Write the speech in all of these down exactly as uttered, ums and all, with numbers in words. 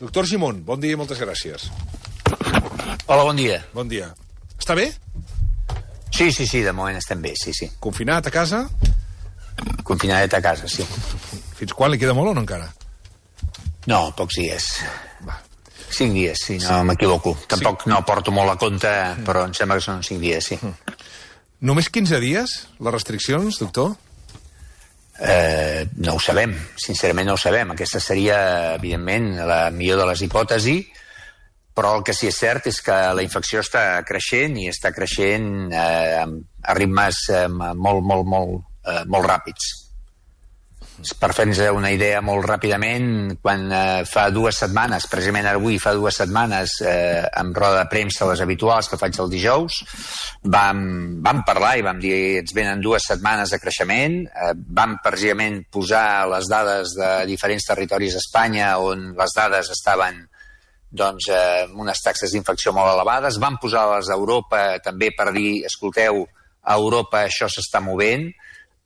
Doctor Gimón, bon dia i moltes gràcies. Hola, bon dia. Bon dia. Està bé? Sí, sí, sí, de moment estem bé, sí, sí. Confinat a casa? Confinadet a casa, sí. Fins quan li queda molt o no encara? No, pocs dies. Va. Cinc dies, si no sí. m'equivoco. Tampoc sí. no porto molt a compte, però em sembla que són cinc dies, sí. Només quinze dies, les restriccions, doctor? Eh, no ho sabem, sincerament no ho sabem. Aquesta seria, evidentment, la millor de les hipòtesis, però el que sí que és cert és que la infecció està creixent i està creixent eh, a ritmes eh, molt, molt, molt, eh, molt ràpids. Per fer-nos una idea molt ràpidament, quan eh, fa dues setmanes, precisament avui fa dues setmanes, eh, amb roda de premsa, les habituals que faig el dijous, vam, vam parlar i vam dir ens venen dues setmanes de creixement, eh, vam precisament posar les dades de diferents territoris d'Espanya on les dades estaven doncs, eh, amb unes taxes d'infecció molt elevades, vam posar-les a Europa també per dir, escolteu, a Europa això s'està movent.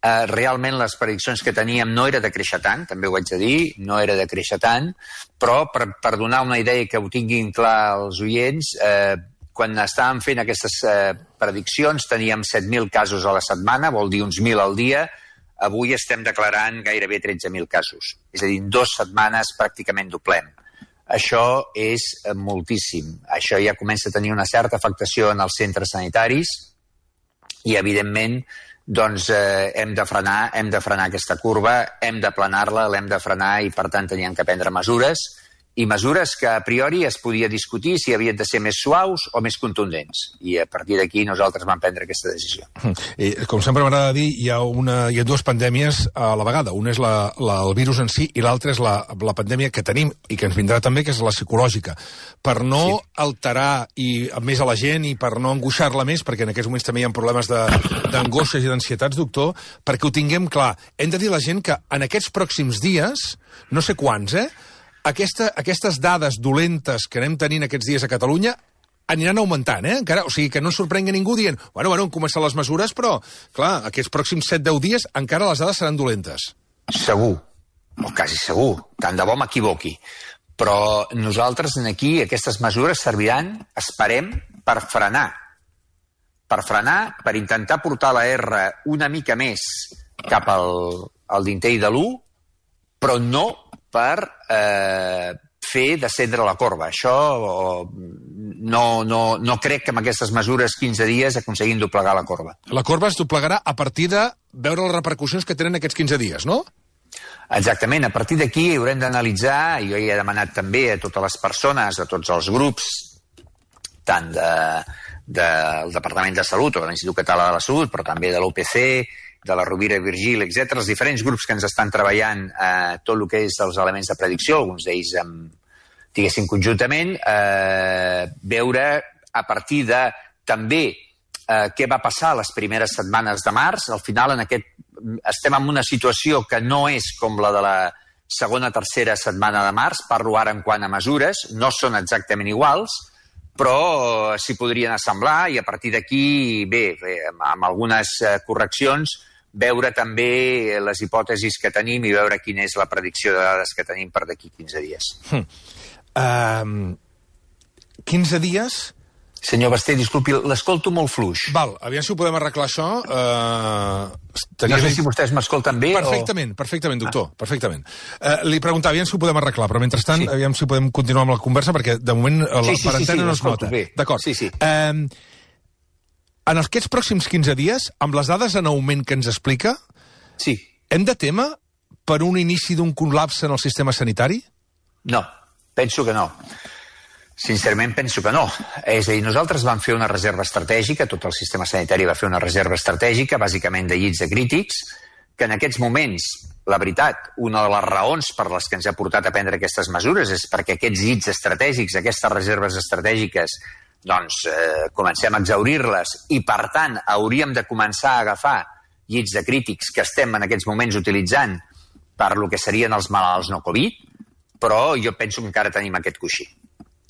Uh, realment les prediccions que teníem no era de créixer tant, també ho haig de dir, no era de créixer tant, però per, per donar una idea que ho tinguin clar els oients, eh, quan estàvem fent aquestes eh, prediccions teníem set mil casos a la setmana, vol dir uns mil al dia, avui estem declarant gairebé tretze mil casos, és a dir, en dues setmanes pràcticament doblem. Això és eh, moltíssim, això ja comença a tenir una certa afectació en els centres sanitaris i evidentment doncs eh, hem de frenar, hem de frenar aquesta curva, hem d'aplanar-la, l'hem de frenar i per tant teníem que prendre mesures i mesures que a priori es podia discutir si havien de ser més suaus o més contundents. I a partir d'aquí nosaltres vam prendre aquesta decisió. I, com sempre m'agrada dir, hi ha, una, hi ha dues pandèmies a la vegada. Una és la, la, el virus en si i l'altra és la, la pandèmia que tenim i que ens vindrà també, que és la psicològica. Per no sí. alterar i, més a la gent i per no angoixar-la més, perquè en aquests moments també hi ha problemes d'angoixes i d'ansietats, doctor, perquè ho tinguem clar. Hem de dir a la gent que en aquests pròxims dies, no sé quants, eh, Aquesta, aquestes dades dolentes que anem tenint aquests dies a Catalunya aniran augmentant, eh? Encara, o sigui, que no sorprengui ningú dient, bueno, bueno, han començat les mesures, però, clar, aquests pròxims set deu dies encara les dades seran dolentes. Segur, o quasi segur, tant de bo m'equivoqui. Però nosaltres aquí, aquestes mesures serviran, esperem, per frenar. Per frenar, per intentar portar la R una mica més cap al, al dintell de l'u, però no per eh, fer descendre la corba. Això no, no, no crec que amb aquestes mesures quinze dies aconseguim doblegar la corba. La corba es doblegarà a partir de veure les repercussions que tenen aquests quinze dies, no? Exactament. A partir d'aquí haurem d'analitzar, i jo ja he demanat també a totes les persones, a tots els grups, tant de, del Departament de Salut o de l'Institut Català de la Salut, però també de l'O P C, de la Rovira i Virgili, etcètera, els diferents grups que ens estan treballant eh, tot el que és els elements de predicció, alguns d'ells diguéssim conjuntament, eh, veure a partir de també eh, què va passar les primeres setmanes de març. Al final en aquest, estem en una situació que no és com la de la segona, tercera setmana de març, parlo ara en quant a mesures, no són exactament iguals, però s'hi podrien assemblar i a partir d'aquí, bé, bé amb, amb algunes eh, correccions, veure també les hipòtesis que tenim i veure quina és la predicció de dades que tenim per d'aquí quinze dies. Hmm. Um, quinze dies... Senyor Basté, disculpi, l'escolto molt fluix. Val, aviam si ho podem arreglar això. Uh, no sé si vostès m'escolten bé perfectament, o... Perfectament, doctor, ah. perfectament. Uh, li preguntava, aviam si ho podem arreglar, però mentrestant, sí. aviam si podem continuar amb la conversa, perquè de moment la sí, sí, parentena sí, sí, no es nota. D'acord. Sí, sí. Uh, en aquests pròxims quinze dies, amb les dades en augment que ens explica, sí. hem de témer per un inici d'un col·lapse en el sistema sanitari? No, penso que no. Sincerament penso que no. És a dir, nosaltres vam fer una reserva estratègica, tot el sistema sanitari va fer una reserva estratègica, bàsicament de llits de crítics, que en aquests moments, la veritat, una de les raons per les que ens ha portat a prendre aquestes mesures és perquè aquests llits estratègics, aquestes reserves estratègiques, doncs eh, comencem a exaurir-les i, per tant, hauríem de començar a agafar llits de crítics que estem en aquests moments utilitzant per lo que serien els malalts no Covid, però jo penso que encara tenim aquest coixí.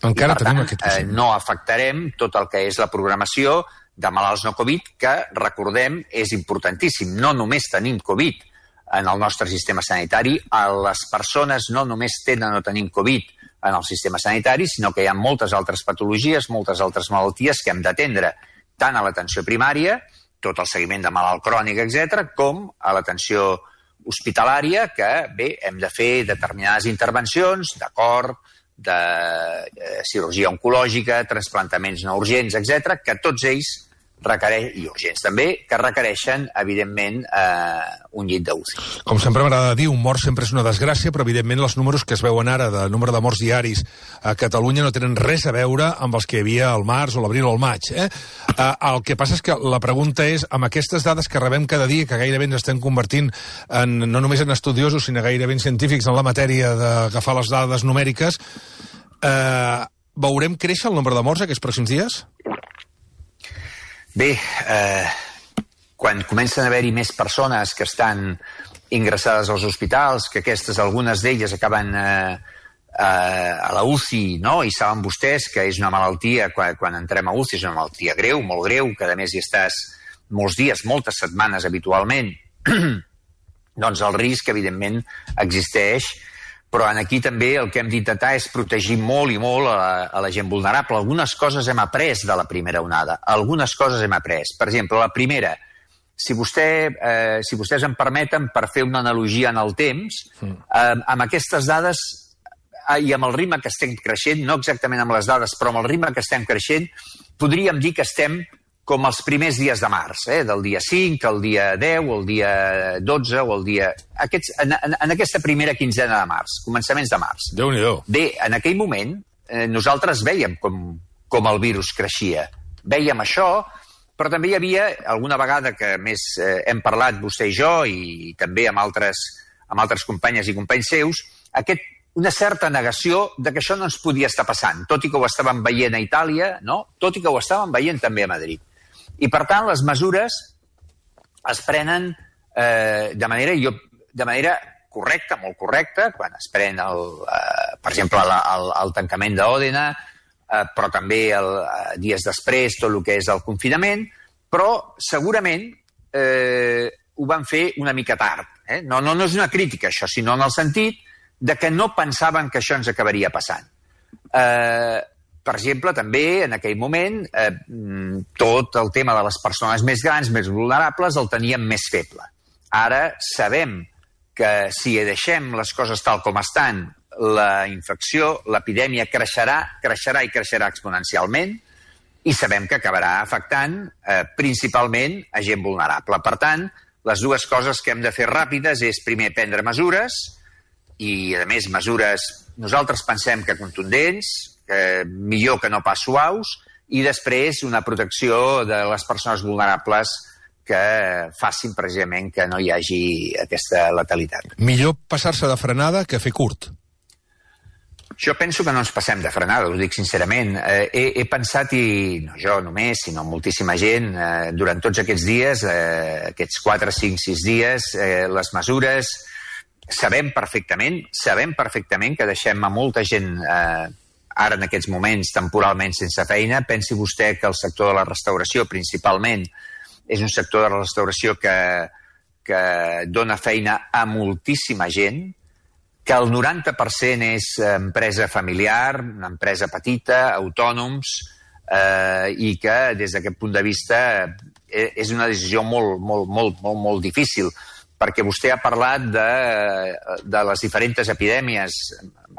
Encara I, per tenim tant, aquest coixí. Eh, no afectarem tot el que és la programació de malalts no Covid, que, recordem, és importantíssim. No només tenim Covid en el nostre sistema sanitari, les persones no només tenen o tenim Covid en el sistema sanitari, sinó que hi ha moltes altres patologies, moltes altres malalties que hem d'atendre tant a l'atenció primària, tot el seguiment de malalt crònic, etcètera, com a l'atenció hospitalària, que, bé, hem de fer determinades intervencions d'acord, de eh, cirurgia oncològica, trasplantaments no urgents, etcètera, que tots ells requereix, i urgents també, que requereixen, evidentment, eh, un llit d'U C I. Com sempre m'agrada dir, un mort sempre és una desgràcia, però evidentment els números que es veuen ara de número de morts diaris a Catalunya no tenen res a veure amb els que hi havia al març o l'abril o al maig. Eh? Eh, el que passa és que la pregunta és, amb aquestes dades que rebem cada dia, que gairebé ens estem convertint en, no només en estudiosos, sinó gairebé en científics en la matèria d'agafar les dades numèriques, eh, veurem créixer el nombre de morts aquests pròxims dies? Bé, eh, quan comencen a haver-hi més persones que estan ingressades als hospitals, que aquestes, algunes d'elles acaben eh, eh, a la U C I, no? I saben vostès que és una malaltia, quan, quan entrem a U C I, és una malaltia greu, molt greu, que a més hi estàs molts dies, moltes setmanes habitualment, doncs el risc, evidentment, existeix. Però aquí també el que hem d'intentar és protegir molt i molt a la, a la gent vulnerable. Algunes coses hem après de la primera onada. Algunes coses hem après. Per exemple, la primera, si, vostè, eh, si vostès em permeten, per fer una analogia en el temps, eh, amb aquestes dades eh, i amb el ritme que estem creixent, no exactament amb les dades, però amb el ritme que estem creixent, podríem dir que estem com els primers dies de març, eh? Del dia cinc, el dia deu, el dia dotze, o el dia... Aquests, en, en, en aquesta primera quinzena de març, començaments de març. Déu-n'hi-do. Bé, en aquell moment, eh, nosaltres veiem com, com el virus creixia. Veiem això, però també hi havia, alguna vegada que més eh, hem parlat vostè i jo, i també amb altres, amb altres companyes i companys seus, aquest, una certa negació de que això no ens podia estar passant, tot i que ho estàvem veient a Itàlia, no? Tot i que ho estàvem veient també a Madrid. I, per tant, les mesures es prenen eh, de manera, jo, de manera correcta, molt correcta, quan es pren, el, eh, per exemple, el, el, el tancament d'Òdena, eh, però també el, eh, dies després tot el que és el confinament, però segurament eh, ho van fer una mica tard. Eh? No, no, no és una crítica, això, sinó en el sentit de que no pensaven que això ens acabaria passant. Eh, Per exemple, també, en aquell moment, eh, tot el tema de les persones més grans, més vulnerables, el teníem més feble. Ara sabem que si deixem les coses tal com estan, la infecció, l'epidèmia creixerà, creixerà i creixerà exponencialment, i sabem que acabarà afectant eh, principalment a gent vulnerable. Per tant, les dues coses que hem de fer ràpides és, primer, prendre mesures, i, a més, mesures, nosaltres pensem que contundents, Eh, millor que no pas suaus, i després una protecció de les persones vulnerables que facin precisament que no hi hagi aquesta letalitat. Millor passar-se de frenada que fer curt. Jo penso que no ens passem de frenada, ho dic sincerament. Eh, he, he pensat, i no jo només, sinó moltíssima gent, eh, durant tots aquests dies, eh, aquests quatre, cinc, sis dies, eh, les mesures, sabem perfectament, sabem perfectament que deixem a molta gent... Eh, ara en aquests moments temporalment sense feina. Pensi vostè que el sector de la restauració principalment és un sector de la restauració que, que dona feina a moltíssima gent, que el noranta per cent és empresa familiar, una empresa petita, autònoms, eh, i que des d'aquest punt de vista és una decisió molt, molt, molt, molt, molt difícil, perquè vostè ha parlat de, de les diferents epidèmies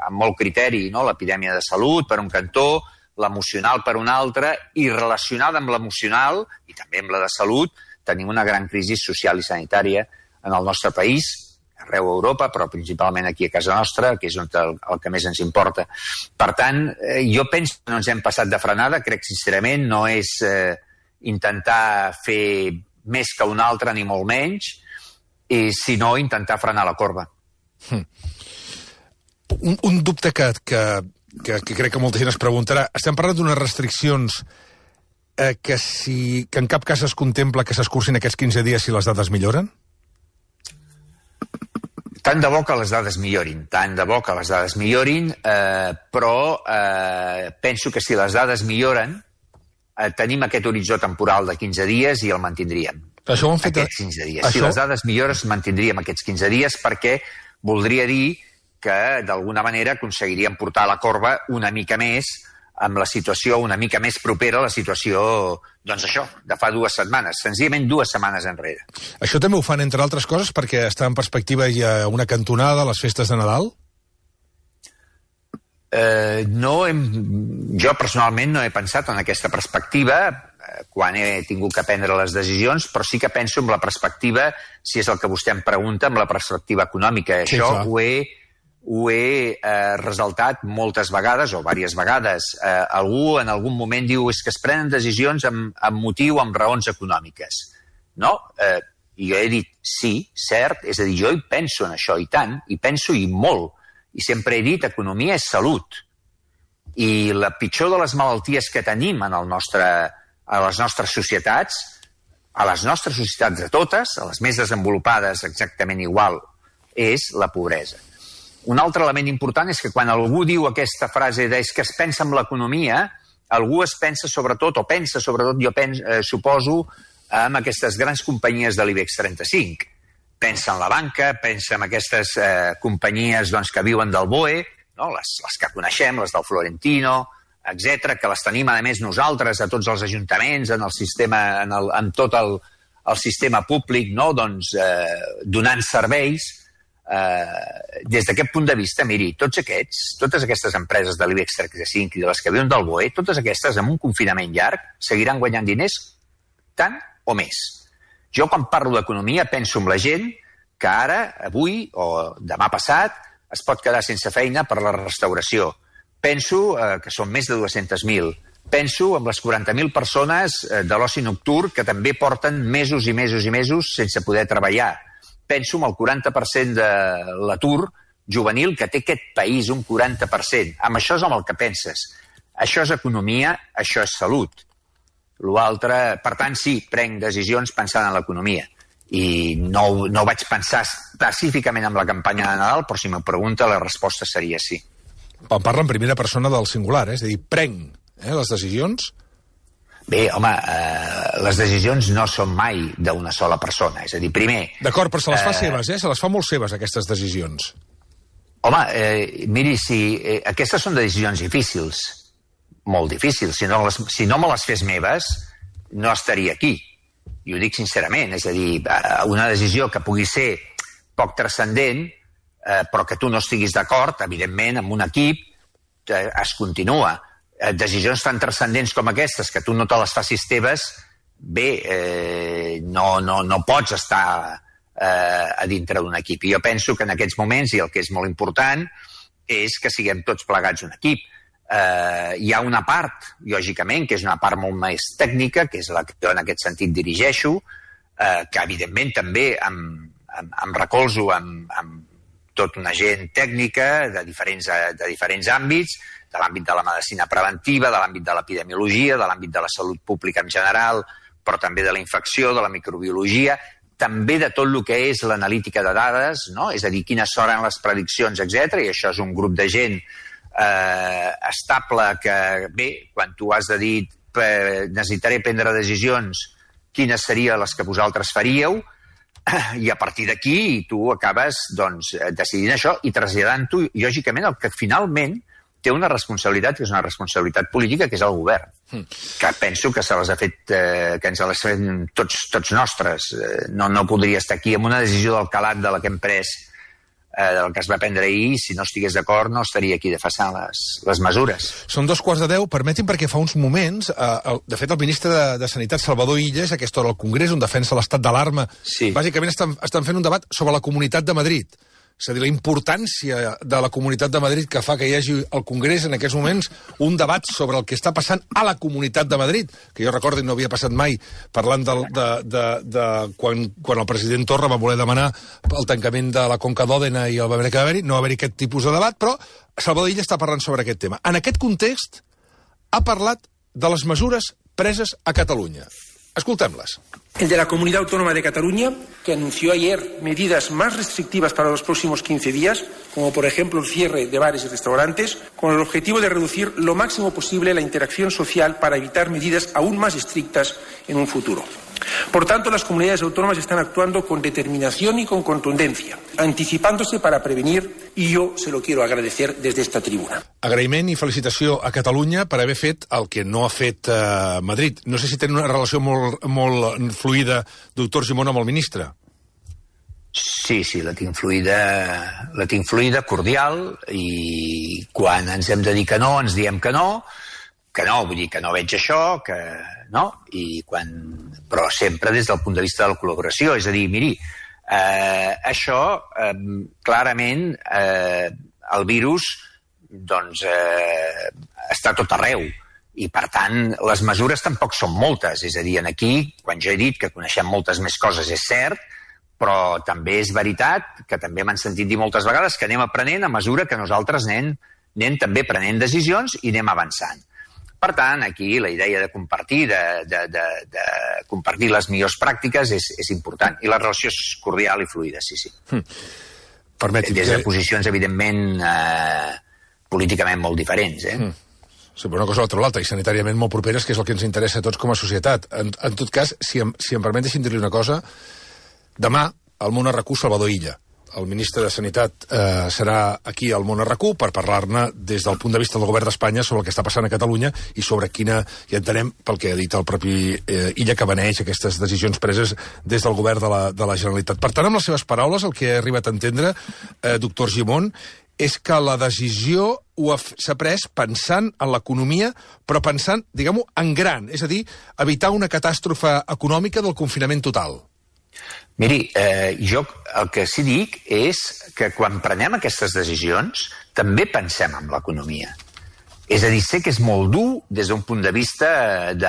amb molt criteri, no? L'epidèmia de salut per un cantó, l'emocional per un altre, i relacionada amb l'emocional i també amb la de salut, tenim una gran crisi social i sanitària en el nostre país, arreu a Europa, però principalment aquí a casa nostra, que és el, el que més ens importa. Per tant, eh, jo penso que no ens hem passat de frenada, crec sincerament, no és eh, intentar fer més que un altre ni molt menys, i sinó intentar frenar la corba. Hmm. Un, un dubte que, que, que, que crec que molta gent es preguntarà. Estem parlant d'unes restriccions eh, que, si, que en cap cas es contempla que s'escurcin aquests quinze dies si les dades milloren? Tant de bo que les dades millorin, tant de bo que les dades millorin, eh, però eh, penso que si les dades milloren, eh, tenim aquest horitzó temporal de quinze dies i el mantindríem. Això ho han fet... Aquests quinze dies. Això... Si les dades millores, mantindríem aquests quinze dies, perquè voldria dir que d'alguna manera aconseguirien portar la corba una mica més amb la situació una mica més propera a la situació, doncs això, de fa dues setmanes, senzillament dues setmanes enrere. Això també ho fan, entre altres coses, perquè està en perspectiva hi ha una cantonada a les festes de Nadal? Eh, no hem, jo personalment no he pensat en aquesta perspectiva quan he tingut que prendre les decisions, però sí que penso en la perspectiva, si és el que vostè em pregunta, en la perspectiva econòmica. Sí, això ho he, ho he eh, resaltat moltes vegades, o diverses vegades. Eh, algú en algun moment diu és que es prenen decisions amb, amb motiu, amb raons econòmiques. No? Eh, I jo he dit sí, cert, és a dir, jo hi penso en això, i tant, i penso i molt. I sempre he dit, economia és salut. I la pitjor de les malalties que tenim en el nostre, a les nostres societats, a les nostres societats de totes, a les més desenvolupades exactament igual, és la pobresa. Un altre element important és que quan algú diu aquesta frase de és que es pensa en l'economia, algú es pensa sobretot, o pensa sobretot, jo penso, eh, suposo, en aquestes grans companyies de l'IBEX trenta-cinc. Pensa en la banca, pensa en aquestes eh, companyies doncs, que viuen del B O E, no? les, les que coneixem, les del Florentino, etcètera, que les tenim, a més, nosaltres, a tots els ajuntaments, en el sistema, en, el, en tot el, el sistema públic, no? doncs, eh, donant serveis. Eh, des d'aquest punt de vista, miri, tots aquests, totes aquestes empreses de l'IBEX trenta-cinc i de les que viuen del B O E, totes aquestes, amb un confinament llarg, seguiran guanyant diners tant o més. Jo, quan parlo d'economia, penso en la gent que ara, avui o demà passat, es pot quedar sense feina per la restauració. Penso eh, que són més de dues-centes mil. Penso en les quaranta mil persones eh, de l'oci nocturn que també porten mesos i mesos i mesos sense poder treballar. Penso en el quaranta per cent de l'atur juvenil que té aquest país, un quaranta per cent. Amb això és amb el que penses. Això és economia, això és salut. L'altre, per tant, sí, prenc decisions pensant en l'economia. I no, no vaig pensar específicament en la campanya de Nadal, però si m'ho pregunta, la resposta seria sí. Em parla en primera persona del singular, eh? És a dir, prenc eh, les decisions? Bé, home, eh, les decisions no són mai d'una sola persona. És a dir, primer... D'acord, però se les fa eh, seves, eh? Se les fa molt seves, aquestes decisions. Home, eh, miri, si eh, aquestes són decisions difícils, molt difícils. Si no, les, si no me les fes meves, no estaria aquí. I ho dic sincerament. És a dir, una decisió que pugui ser poc transcendent, eh, però que tu no estiguis d'acord, evidentment, amb un equip, eh, es continua. Eh, decisions tan transcendents com aquestes, que tu no te les facis teves, bé, eh, no, no, no pots estar eh, a dintre d'un equip. I jo penso que en aquests moments, i el que és molt important, és que siguem tots plegats un equip. Eh, hi ha una part, lògicament, que és una part molt més tècnica, que és la que jo en aquest sentit dirigeixo, eh, que evidentment també em, em, em recolzo amb, amb tota una gent tècnica de diferents, de diferents àmbits, de l'àmbit de la medicina preventiva, de l'àmbit de l'epidemiologia, de l'àmbit de la salut pública en general, però també de la infecció, de la microbiologia, també de tot el que és l'analítica de dades, no? És a dir, quines seran les prediccions, etcètera. I això és un grup de gent eh, estable que, bé, quan tu has de dir eh, necessitaré prendre decisions, quines serien les que vosaltres faríeu, i a partir d'aquí tu acabes doncs, decidint això i traslladant-ho, lògicament, el que finalment té una responsabilitat, que és una responsabilitat política, que és el govern, mm. que penso que se les ha fet, eh, que ens les fem tots, tots nostres. Eh, no, no podria estar aquí amb una decisió del calat de la que hem pres, eh, del que es va prendre ahir, si no estigués d'acord no estaria aquí defensant les, les mesures. Són dos quarts de deu, permetin, perquè fa uns moments, eh, el, de fet el ministre de, de Sanitat, Salvador Illes, a aquesta hora al Congrés, on defensa l'estat d'alarma, sí. Bàsicament estan, estan fent un debat sobre la Comunitat de Madrid. És a dir, la importància de la Comunitat de Madrid que fa que hi hagi al Congrés en aquests moments un debat sobre el que està passant a la Comunitat de Madrid, que jo recordo no havia passat mai, parlant de, de, de, de quan, quan el president Torra va voler demanar el tancament de la Conca d'Òdena i el va haver que haver-hi, no va haver-hi aquest tipus de debat, però Salvador Illa està parlant sobre aquest tema. En aquest context, ha parlat de les mesures preses a Catalunya. Escoltem-les. El de la Comunidad Autónoma de Cataluña, que anunció ayer medidas más restrictivas para los próximos quince días, como por ejemplo el cierre de bares y restaurantes, con el objetivo de reducir lo máximo posible la interacción social para evitar medidas aún más estrictas en un futuro. Por tanto, las comunidades autónomas están actuando con determinación y con contundencia, anticipándose para prevenir, y yo se lo quiero agradecer desde esta tribuna. Agraïment i felicitació a Catalunya per haver fet el que no ha fet eh, Madrid. No sé si tenen una relació molt, molt fluida, doctor Argimon, amb el ministre. Sí, sí, la tinc fluida, la tinc fluida, cordial, i quan ens hem de dir que no, ens diem que no, que no, vull dir que no veig això, que no, i quan... però sempre des del punt de vista de la col·laboració, és a dir, miri, eh, això, eh, clarament, eh, el virus, doncs, eh, està tot arreu, i per tant, les mesures tampoc són moltes, és a dir, aquí, quan jo he dit que coneixem moltes més coses, és cert, però també és veritat que també m'han sentit dir moltes vegades que anem aprenent a mesura que nosaltres anem, anem també prenent decisions i anem avançant. Per tant, aquí la idea de compartir, de, de, de, de compartir les millors pràctiques és, és important. I la relació és cordial i fluida, sí, sí. Hm. Permeti'm Des de que... posicions, evidentment, eh, políticament molt diferents, eh? Hm. Sí, però una cosa a l'altra, l'altra, i sanitàriament molt properes, que és el que ens interessa a tots com a societat. En, en tot cas, si em, si em permet, deixi'm dir-li una cosa, demà, al Món RAC1, Salvador Illa, el ministre de Sanitat, eh, serà aquí al Món RAC1 per parlar-ne des del punt de vista del govern d'Espanya sobre el que està passant a Catalunya i sobre quina, i entenem pel que ha dit el propi eh, Illa, que beneix aquestes decisions preses des del govern de la, de la Generalitat. Per tant, amb les seves paraules, el que he arribat a entendre, eh, doctor Argimon, és que la decisió s'ha pres pensant en l'economia, però pensant, diguem-ho, en gran, és a dir, evitar una catàstrofe econòmica del confinament total. Miri, eh, jo el que sí dic és que quan prenem aquestes decisions també pensem en l'economia. És a dir, sé que és molt dur des d'un punt de vista del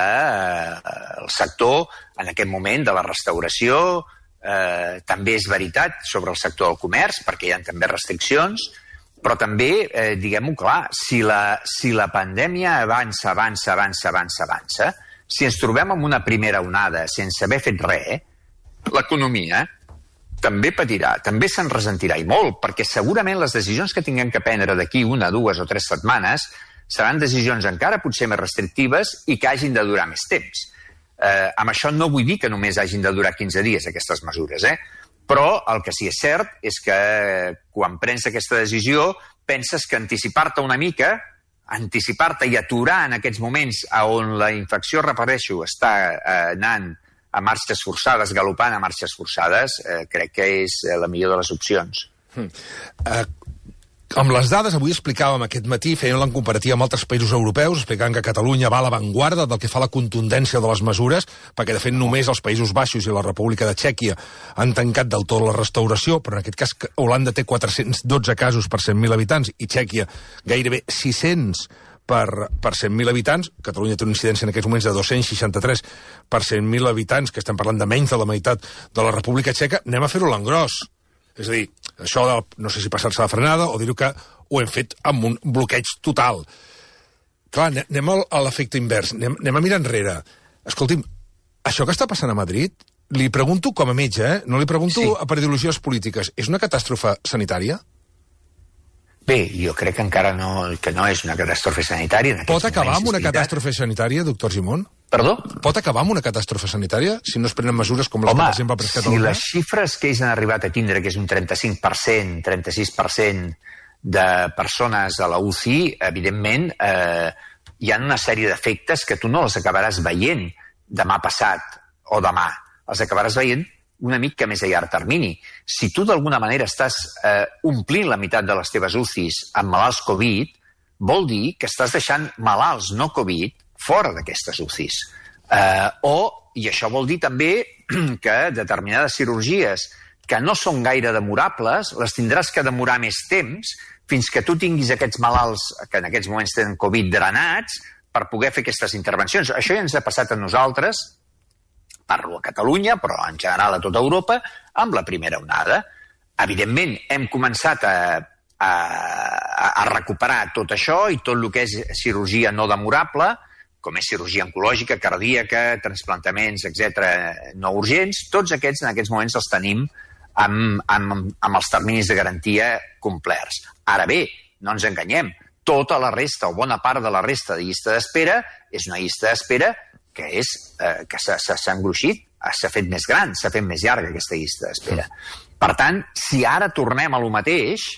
eh, sector, en aquest moment, de la restauració, eh, també és veritat sobre el sector del comerç, perquè hi ha també restriccions, però també, eh, diguem-ho clar, si la, si la pandèmia avança, avança, avança, avança, avança, si ens trobem en una primera onada sense haver fet res, l'economia també patirà, també se'n ressentirà, i molt, perquè segurament les decisions que tinguem que prendre d'aquí una, dues o tres setmanes seran decisions encara potser més restrictives i que hagin de durar més temps. Eh, amb això no vull dir que només hagin de durar quinze dies aquestes mesures, eh? Però el que sí és cert és que quan prens aquesta decisió penses que anticipar-te una mica, anticipar-te i aturar en aquests moments on la infecció, repeteixo, està eh, anant a marxes forçades, galopant a marxes forçades, eh, crec que és la millor de les opcions. Mm. Uh, amb les dades, avui explicàvem aquest matí, fèiem la comparativa amb altres països europeus, explicant que Catalunya va a l'avantguarda del que fa la contundència de les mesures, perquè de fet només els Països Baixos i la República de Txèquia han tancat del tot la restauració, però en aquest cas Holanda té quatre-cents dotze casos per cent mil habitants i Txèquia gairebé sis-cents per, per cent mil habitants. Catalunya té una incidència en aquests moments de dos-cents seixanta-tres per cent mil habitants, que estem parlant de menys de la meitat de la República Txeca. Anem a fer-ho a l'engròs. És a dir, això de, no sé si passar-se la frenada o dir-ho que ho hem fet amb un bloqueig total. Clar, anem a l'efecte invers, anem, anem a mirar enrere. Escolti'm, això que està passant a Madrid, li pregunto com a metge, eh? No li pregunto sí. per ideologies polítiques. És una catàstrofe sanitària? Bé, jo crec que encara no, que no és una catàstrofe sanitària. Pot acabar amb una catàstrofe sanitària, doctor Argimon? Perdó? Pot acabar amb una catàstrofe sanitària si no es prenen mesures com les Home, que, per exemple, ha pres Catalunya? Si les xifres que ells han arribat a tindre, que és un trenta-cinc per cent, trenta-sis per cent de persones a la U C I, evidentment, eh, hi ha una sèrie d'efectes que tu no les acabaràs veient demà passat o demà. Els acabaràs veient una mica més a llarg termini. Si tu d'alguna manera estàs eh, omplint la meitat de les teves U C Is amb malalts Covid, vol dir que estàs deixant malalts no Covid fora d'aquestes U C Is. Eh, o, i això vol dir també que determinades cirurgies que no són gaire demorables, les tindràs que demorar més temps fins que tu tinguis aquests malalts que en aquests moments tenen Covid drenats per poder fer aquestes intervencions. Això ja ens ha passat a nosaltres, parlo a Catalunya, però en general a tota Europa, amb la primera onada. Evidentment, hem començat a, a, a recuperar tot això i tot el que és cirurgia no demorable, com és cirurgia oncològica, cardíaca, transplantaments, etcètera, no urgents, tots aquests en aquests moments els tenim amb, amb, amb els terminis de garantia complerts. Ara bé, no ens enganyem, tota la resta o bona part de la resta de llista d'espera és una llista d'espera que és eh, que s'ha engruixit s'ha fet més gran, s'ha fet més llarga aquesta llista d'espera. Per tant, si ara tornem a lo mateix,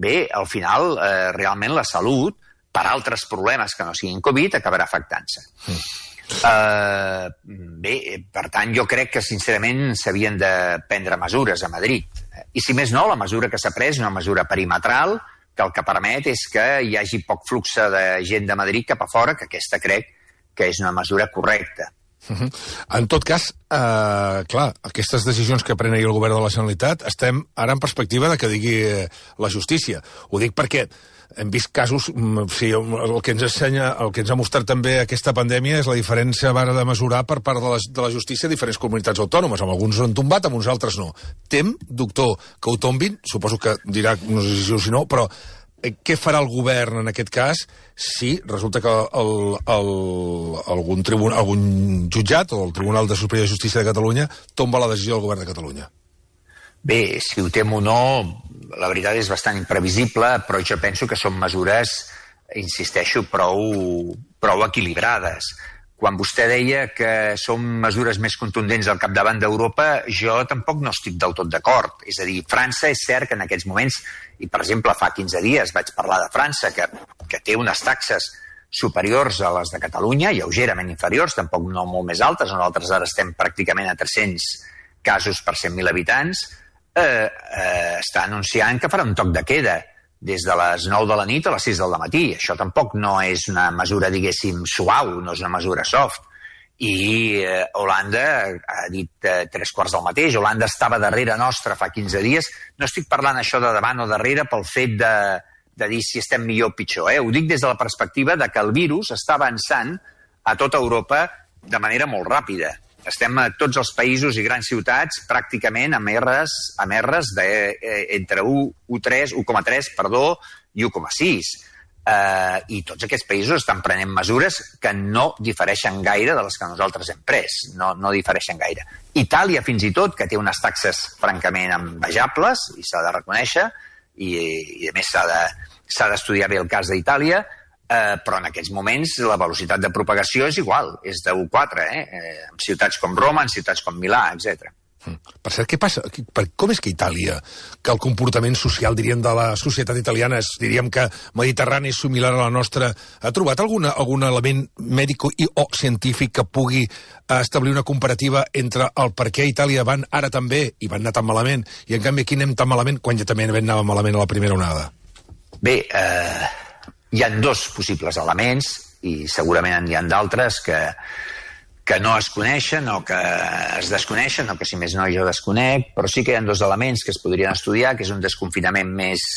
bé, al final, eh, realment la salut, per altres problemes que no siguin Covid, acabarà afectant-se. Mm. Uh, bé, per tant, jo crec que, sincerament, s'havien de prendre mesures a Madrid. I, si més no, la mesura que s'ha pres és una mesura perimetral, que el que permet és que hi hagi poc flux de gent de Madrid cap a fora, que aquesta crec que és una mesura correcta. Uh-huh. En tot cas, eh, clar, aquestes decisions que pren ahir el govern de la Generalitat estem ara en perspectiva de que digui la justícia. Ho dic perquè hem vist casos, sí, el que ens ensenya, el que ens ha mostrat també aquesta pandèmia és la diferència a vara de mesurar per part de la, de la justícia a diferents comunitats autònomes. Amb alguns ho han tombat, amb uns altres no. Tem, doctor, que ho tombin? Suposo que dirà, no sé si sí o si no, però eh, què farà el govern en aquest cas si resulta que el, el, algun, tribunal, algun jutjat o el Tribunal de Superior de Justícia de Catalunya tomba la decisió del govern de Catalunya? Bé, si ho tem o no, la veritat és bastant imprevisible, però jo penso que són mesures, insisteixo, prou, prou equilibrades. Quan vostè deia que són mesures més contundents al capdavant d'Europa, jo tampoc no estic del tot d'acord. És a dir, França és cert que en aquests moments, i per exemple fa quinze dies vaig parlar de França, que, que té unes taxes superiors a les de Catalunya, lleugerament inferiors, tampoc no molt més altes, nosaltres ara estem pràcticament a tres-cents casos per cent mil habitants, Eh, eh, està anunciant que farà un toc de queda des de les nou de la nit a les sis del matí. Això tampoc no és una mesura, diguéssim, suau, no és una mesura soft. I eh, Holanda ha dit eh, tres quarts del mateix. Holanda estava darrere nostra fa quinze dies. No estic parlant això de davant o darrere pel fet de, de dir si estem millor o pitjor. Eh? Ho dic des de la perspectiva de que el virus està avançant a tota Europa de manera molt ràpida. Estem a tots els països i grans ciutats pràcticament amb R's, amb R's de, eh, entre u coma tres perdó, i u coma sis. Eh, I tots aquests països estan prenent mesures que no difereixen gaire de les que nosaltres hem pres. No, no difereixen gaire. Itàlia, fins i tot, que té unes taxes francament envejables, i s'ha de reconèixer, i, i a més s'ha de, s'ha d'estudiar bé el cas d'Itàlia, Uh, però en aquests moments la velocitat de propagació és igual, és de u coma quatre, eh? eh? en ciutats com Roma, en ciutats com Milà, etcètera. Per cert, què passa? Com és que Itàlia, que el comportament social, diríem, de la societat italiana, és, diríem que mediterrani és similar a la nostra, ha trobat alguna, algun element mèdic i o científic que pugui establir una comparativa entre el per què a Itàlia van ara tan bé i van anar tan malament, i en canvi aquí anem tan malament quan ja també anàvem malament a la primera onada? Bé, eh... hi ha dos possibles elements, i segurament hi ha d'altres que, que no es coneixen o que es desconeixen, o que si més no jo desconec, però sí que hi ha dos elements que es podrien estudiar, que és un desconfinament més,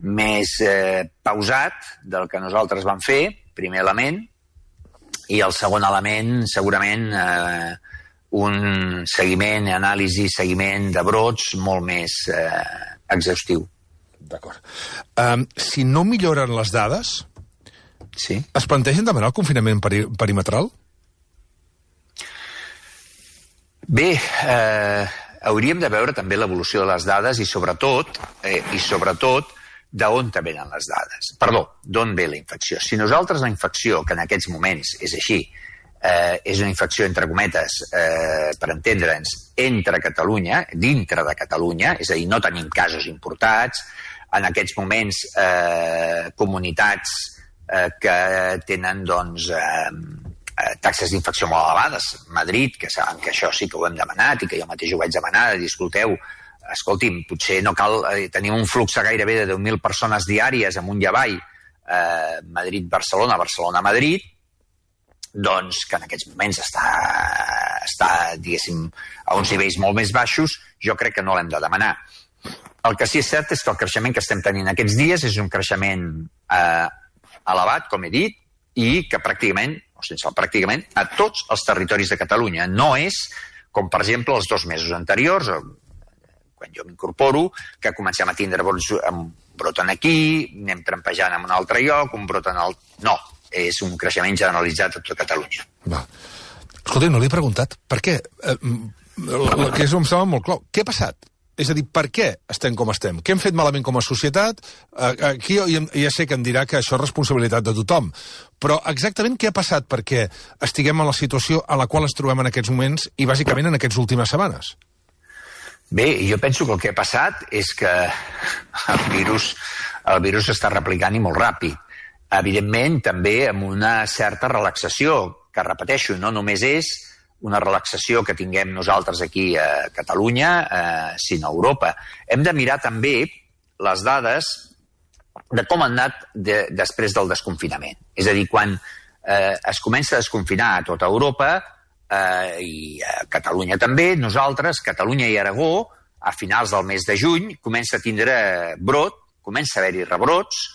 més eh, pausat del que nosaltres vam fer, primer element, i el segon element, segurament, eh, un seguiment, anàlisi, seguiment de brots molt més eh, exhaustiu. D'acord. Um, si no milloren les dades, sí. Es plantegen demanar el confinament peri perimetral? Bé, eh, hauríem de veure també l'evolució de les dades i sobretot, eh, i sobretot d'on venen les dades. Perdó, d'on ve la infecció. Si nosaltres la infecció, que en aquests moments és així, eh, és una infecció, entre cometes, eh, per entendre'ns, entre Catalunya, dintre de Catalunya, és a dir, no tenim casos importats, en aquests moments eh, comunitats eh, que tenen doncs, eh, taxes d'infecció molt elevades. Madrid, que saben que això sí que ho hem demanat i que jo mateix ho vaig demanar, de dir, escolteu, escolti'm, potser no cal... Eh, tenim un flux gairebé de deu mil persones diàries amunt i avall, eh, Madrid-Barcelona, Barcelona-Madrid, doncs que en aquests moments està, està, diguéssim, a uns nivells molt més baixos, jo crec que no l'hem de demanar. El que sí és cert és que el creixement que estem tenint aquests dies és un creixement eh, elevat, com he dit, i que pràcticament, o sense el pràcticament, a tots els territoris de Catalunya. No és, com per exemple, els dos mesos anteriors, quan jo m'incorporo, que comencem a tindre brots, un brot aquí, anem trampejant en un altre lloc, un brot en el... No, és un creixement generalitzat a tota Catalunya. Va. Escolta, no li he preguntat per què. Eh, el que és, em sembla molt clar. Què ha passat? És a dir, per què estem com estem? Què hem fet malament com a societat? Aquí ja sé que em dirà que això és responsabilitat de tothom, però exactament què ha passat perquè estiguem en la situació en la qual ens trobem en aquests moments i bàsicament en aquestes últimes setmanes? Bé, jo penso que el que ha passat és que el virus, el virus està replicant i molt ràpid. Evidentment, també amb una certa relaxació, que repeteixo, no només és una relaxació que tinguem nosaltres aquí a Catalunya, eh, sinó a Europa. Hem de mirar també les dades de com han anat de, després del desconfinament. És a dir, quan eh, es comença a desconfinar a tota Europa, eh, i a Catalunya també, nosaltres, Catalunya i Aragó, a finals del mes de juny, comença a tindre brot, comença a haver-hi rebrots,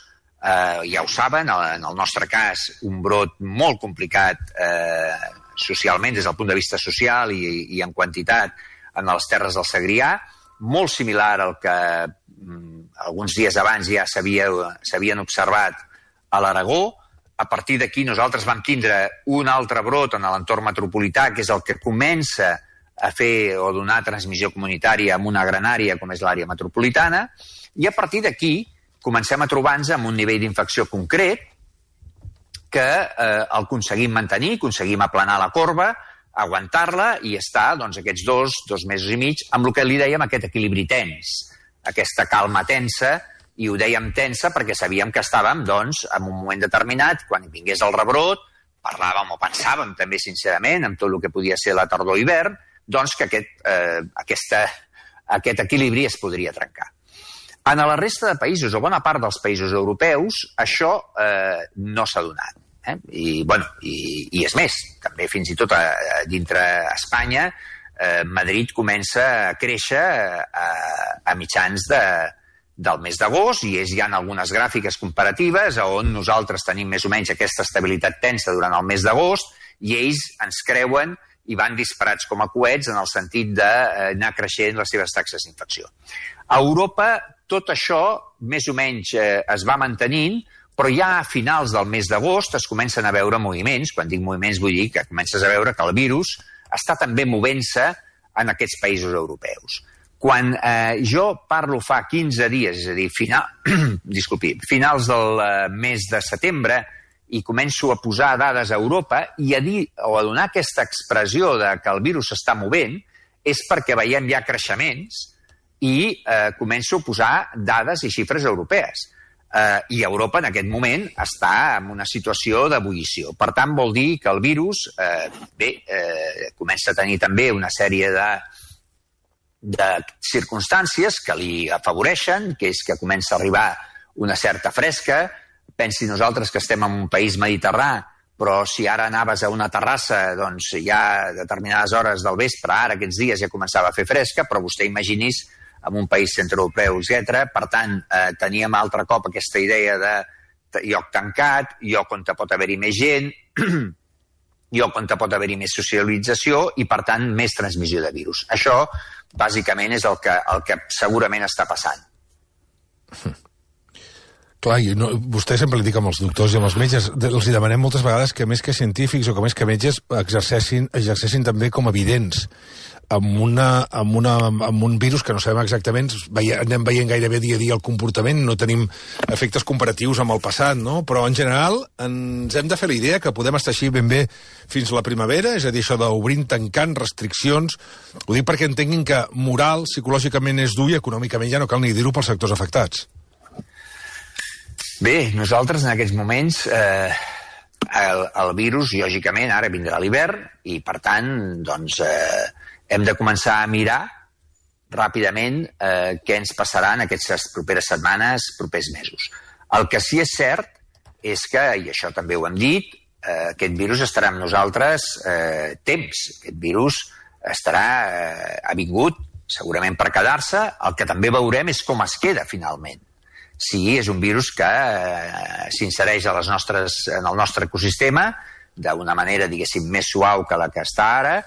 eh, ja ho saben, en el nostre cas, un brot molt complicat eh, socialment, des del punt de vista social i, i en quantitat en les terres del Segrià, molt similar al que mm, alguns dies abans ja s'havien observat a l'Aragó. A partir d'aquí nosaltres vam tindre un altre brot en l'entorn metropolità, que és el que comença a fer o donar transmissió comunitària en una gran àrea com és l'àrea metropolitana, i a partir d'aquí comencem a trobar-nos amb un nivell d'infecció concret que eh, el aconseguim mantenir, aconseguim aplanar la corba, aguantar-la i estar doncs, aquests dos, dos mesos i mig amb el que li dèiem aquest equilibri tens, aquesta calma tensa, i ho dèiem tensa perquè sabíem que estàvem doncs, en un moment determinat, quan vingués el rebrot, parlàvem o pensàvem també sincerament amb tot el que podia ser la tardor-hivern, doncs que aquest, eh, aquesta, aquest equilibri es podria trencar. En la resta de països, o bona part dels països europeus, això eh, no s'ha donat. Eh? I, bueno, i, I és més, també fins i tot a, a, dintre Espanya, eh, Madrid comença a créixer a, a mitjans de, del mes d'agost i és, hi ha algunes gràfiques comparatives on nosaltres tenim més o menys aquesta estabilitat tensa durant el mes d'agost i ells ens creuen i van disparats com a coets en el sentit d'anar creixent les seves taxes d'infecció. A Europa tot això més o menys eh, es va mantenint, però ja a finals del mes d'agost es comencen a veure moviments. Quan dic moviments vull dir que comences a veure que el virus està també movent-se en aquests països europeus. Quan eh, jo parlo fa quinze dies, és a dir, final, disculpi, finals del eh, mes de setembre, i començo a posar dades a Europa i a dir o a donar aquesta expressió de que el virus s'està movent, és perquè veiem ja creixements i eh, començo a posar dades i xifres europees. Eh, I Europa en aquest moment està en una situació d'ebullició. Per tant, vol dir que el virus eh, bé, eh, comença a tenir també una sèrie de, de circumstàncies que li afavoreixen, que és que comença a arribar una certa fresca. Pensi nosaltres que estem en un país mediterrani, però si ara anaves a una terrassa, doncs ja a determinades hores del vespre, ara aquests dies ja començava a fer fresca, però vostè imaginis en un país centreeuropeu, etcètera. Per tant, eh, teníem altre cop aquesta idea de lloc tancat, lloc on pot haver-hi més gent, lloc on pot haver-hi més socialització i, per tant, més transmissió de virus. Això, bàsicament, és el que, el que segurament està passant. Clar, i no, vostè sempre li dic amb els doctors i amb els metges, els demanem moltes vegades que més que científics o que més que metges exercessin, exercessin també com a evidents amb, una, amb, una, amb un virus que no sabem exactament, veia, anem veient gairebé dia a dia el comportament, no tenim efectes comparatius amb el passat, no? Però en general ens hem de fer la idea que podem estar així ben bé fins a la primavera, és a dir, això d'obrint, tancant, restriccions. Ho dic perquè entenguin que moral, psicològicament és dur i econòmicament ja no cal ni dir-ho pels sectors afectats. Bé, nosaltres en aquests moments eh, el, el virus, lògicament, ara vindrà l'hivern i, per tant, doncs, eh, hem de començar a mirar ràpidament eh, què ens passarà en aquestes properes setmanes, propers mesos. El que sí és cert és que, i això també ho hem dit, eh, aquest virus estarà amb nosaltres eh, temps. Aquest virus estarà eh, ha vingut segurament per quedar-se. El que també veurem és com es queda finalment. Si és un virus que eh, s'insereix a les nostres, en el nostre ecosistema d'una manera, diguéssim, més suau que la que està ara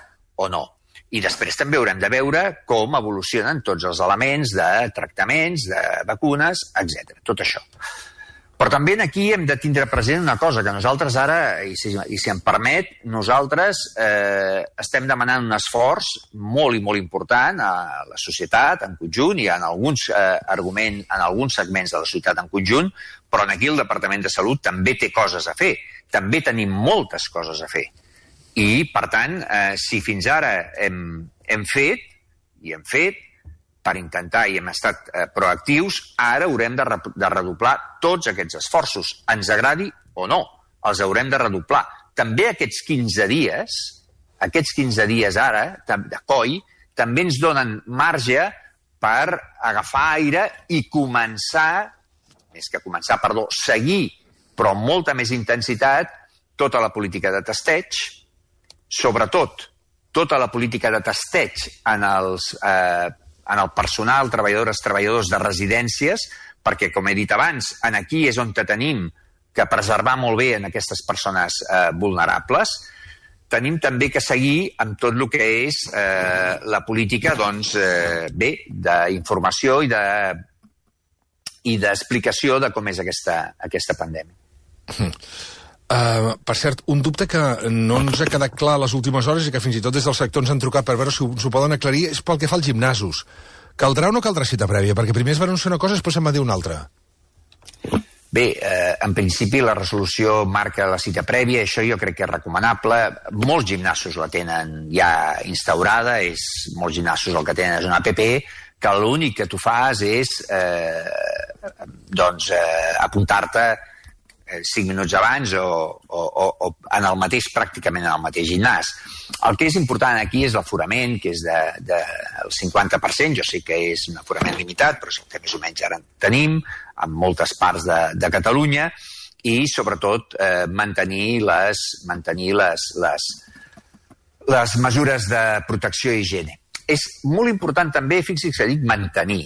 o no. I després també haurem de veure com evolucionen tots els elements de tractaments, de vacunes, etcètera. Tot això. Però també aquí hem de tindre present una cosa, que nosaltres ara, i si, i si em permet, nosaltres eh, estem demanant un esforç molt i molt important a la societat en conjunt i en alguns, eh, argument, en alguns segments de la societat en conjunt, però aquí el Departament de Salut també té coses a fer. També tenim moltes coses a fer. I, per tant, eh, si fins ara hem, hem fet, i hem fet, per intentar i hem estat eh, proactius, ara haurem de, re de redoblar tots aquests esforços. Ens agradi o no, els haurem de redoblar. També aquests quinze dies, aquests quinze dies ara, de coi, també ens donen marge per agafar aire i començar, més que començar, perdó, seguir, però amb molta més intensitat, tota la política de testeig, sobretot tota la política de testeig en els... Eh, en el personal, treballadores, treballadors de residències, perquè, com he dit abans, en aquí és on tenim que preservar molt bé en aquestes persones eh, vulnerables. Tenim també que seguir amb tot el que és eh, la política, doncs, eh, bé, d'informació i de i d'explicació de com és aquesta, aquesta pandèmia. Uh, per cert, un dubte que no ens ha quedat clar a les últimes hores i que fins i tot des del sector ens han trucat per veure si s'ho poden aclarir és pel que fa als gimnasos. Caldrà o no caldrà cita prèvia? Perquè primer es va anunciar una cosa i després se'n va dir una altra. Bé, eh, en principi la resolució marca la cita prèvia, això jo crec que és recomanable. Molts gimnasos la tenen ja instaurada, és, molts gimnasos el que tenen és una app que l'únic que tu fas és eh, doncs, eh, apuntar-te cinc minuts abans o, o, o, o en el mateix, pràcticament en el mateix gimnàs. El que és important aquí és l'aforament, que és del de, de cinquanta per cent, jo sé que és un aforament limitat, però és el que més o menys ara tenim, en moltes parts de, de Catalunya, i sobretot eh, mantenir, les, mantenir les, les, les mesures de protecció i higiene. És molt important també, fixi's que dic mantenir,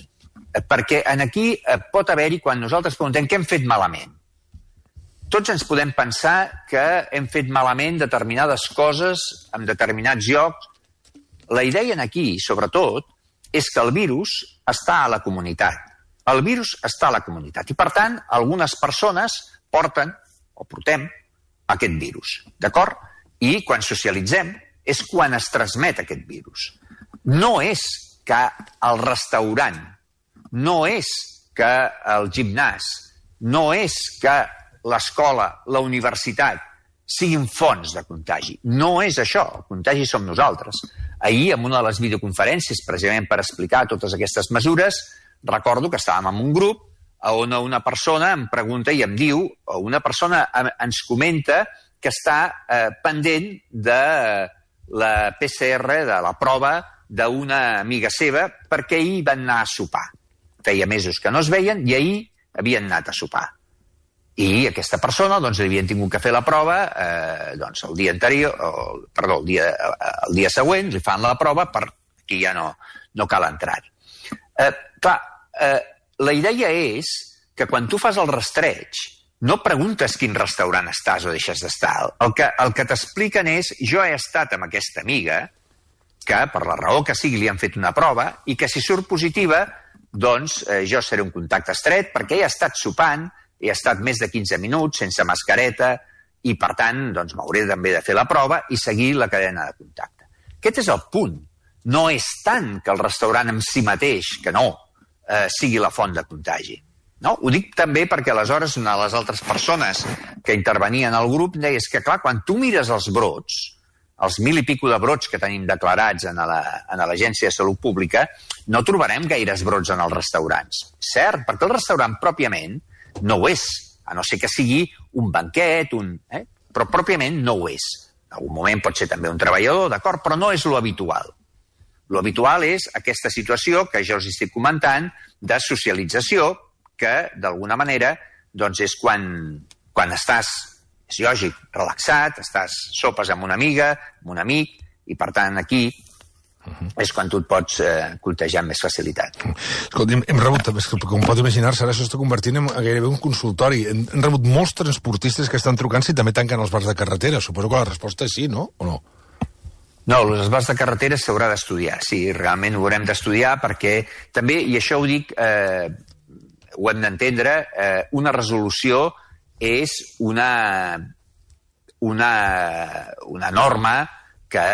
perquè en aquí eh, pot haver-hi, quan nosaltres preguntem què hem fet malament, tots ens podem pensar que hem fet malament determinades coses en determinats llocs. La idea aquí, sobretot, és que el virus està a la comunitat. El virus està a la comunitat i, per tant, algunes persones porten o portem aquest virus, d'acord? I quan socialitzem és quan es transmet aquest virus. No és que el restaurant, no és que el gimnàs, no és que l'escola, la universitat, siguin fonts de contagi. No és això, el contagi som nosaltres. Ahir, en una de les videoconferències, precisament per explicar totes aquestes mesures, recordo que estàvem en un grup on una persona em pregunta i em diu, o una persona ens comenta que està eh, pendent de la P C R, de la prova d'una amiga seva, perquè ahir van anar a sopar. Feia mesos que no es veien i ahir havien anat a sopar. I aquesta persona, doncs, li havien tingut que fer la prova eh, doncs, el dia anterior, o, perdó, el dia, el dia següent, li fan la prova perquè ja no, no cal entrar-hi. Eh, clar, eh, la idea és que quan tu fas el rastreig, no preguntes quin restaurant estàs o deixes d'estar. El que, el que t'expliquen és, jo he estat amb aquesta amiga, que per la raó que sigui li han fet una prova, i que si surt positiva, doncs eh, jo seré un contacte estret, perquè ella ha estat sopant, he estat més de quinze minuts sense mascareta i, per tant, doncs, m'hauré també de fer la prova i seguir la cadena de contacte. Aquest és el punt. No és tant que el restaurant en si mateix, que no, eh, sigui la font de contagi. No? Ho dic també perquè aleshores una de les altres persones que intervenien al grup deia que, clar, quan tu mires els brots, els mil i pico de brots que tenim declarats en l'Agència de Salut Pública, no trobarem gaires brots en els restaurants. Cert, perquè el restaurant pròpiament no ho és, a no ser que sigui un banquet, un, eh? però pròpiament no ho és. En algun moment pot ser també un treballador, d'acord, però no és lo habitual. Lo habitual és aquesta situació que jo us estic comentant de socialització, que d'alguna manera doncs és quan, quan estàs, és lògic, relaxat, estàs sopes amb una amiga, amb un amic, i per tant aquí Uh-huh. és quan tu et pots eh, contagiar amb més facilitat. Escolta, hem, hem rebut, com pot imaginar-se, ara s'està convertint en gairebé un consultori. Hem, hem rebut molts transportistes que estan trucant si també tanquen els bars de carretera. Suposo que la resposta és sí, no? O no? No, els bars de carretera s'haurà d'estudiar. Sí, realment ho haurem d'estudiar perquè també, i això ho dic, eh, ho hem d'entendre, eh, una resolució és una, una, una norma que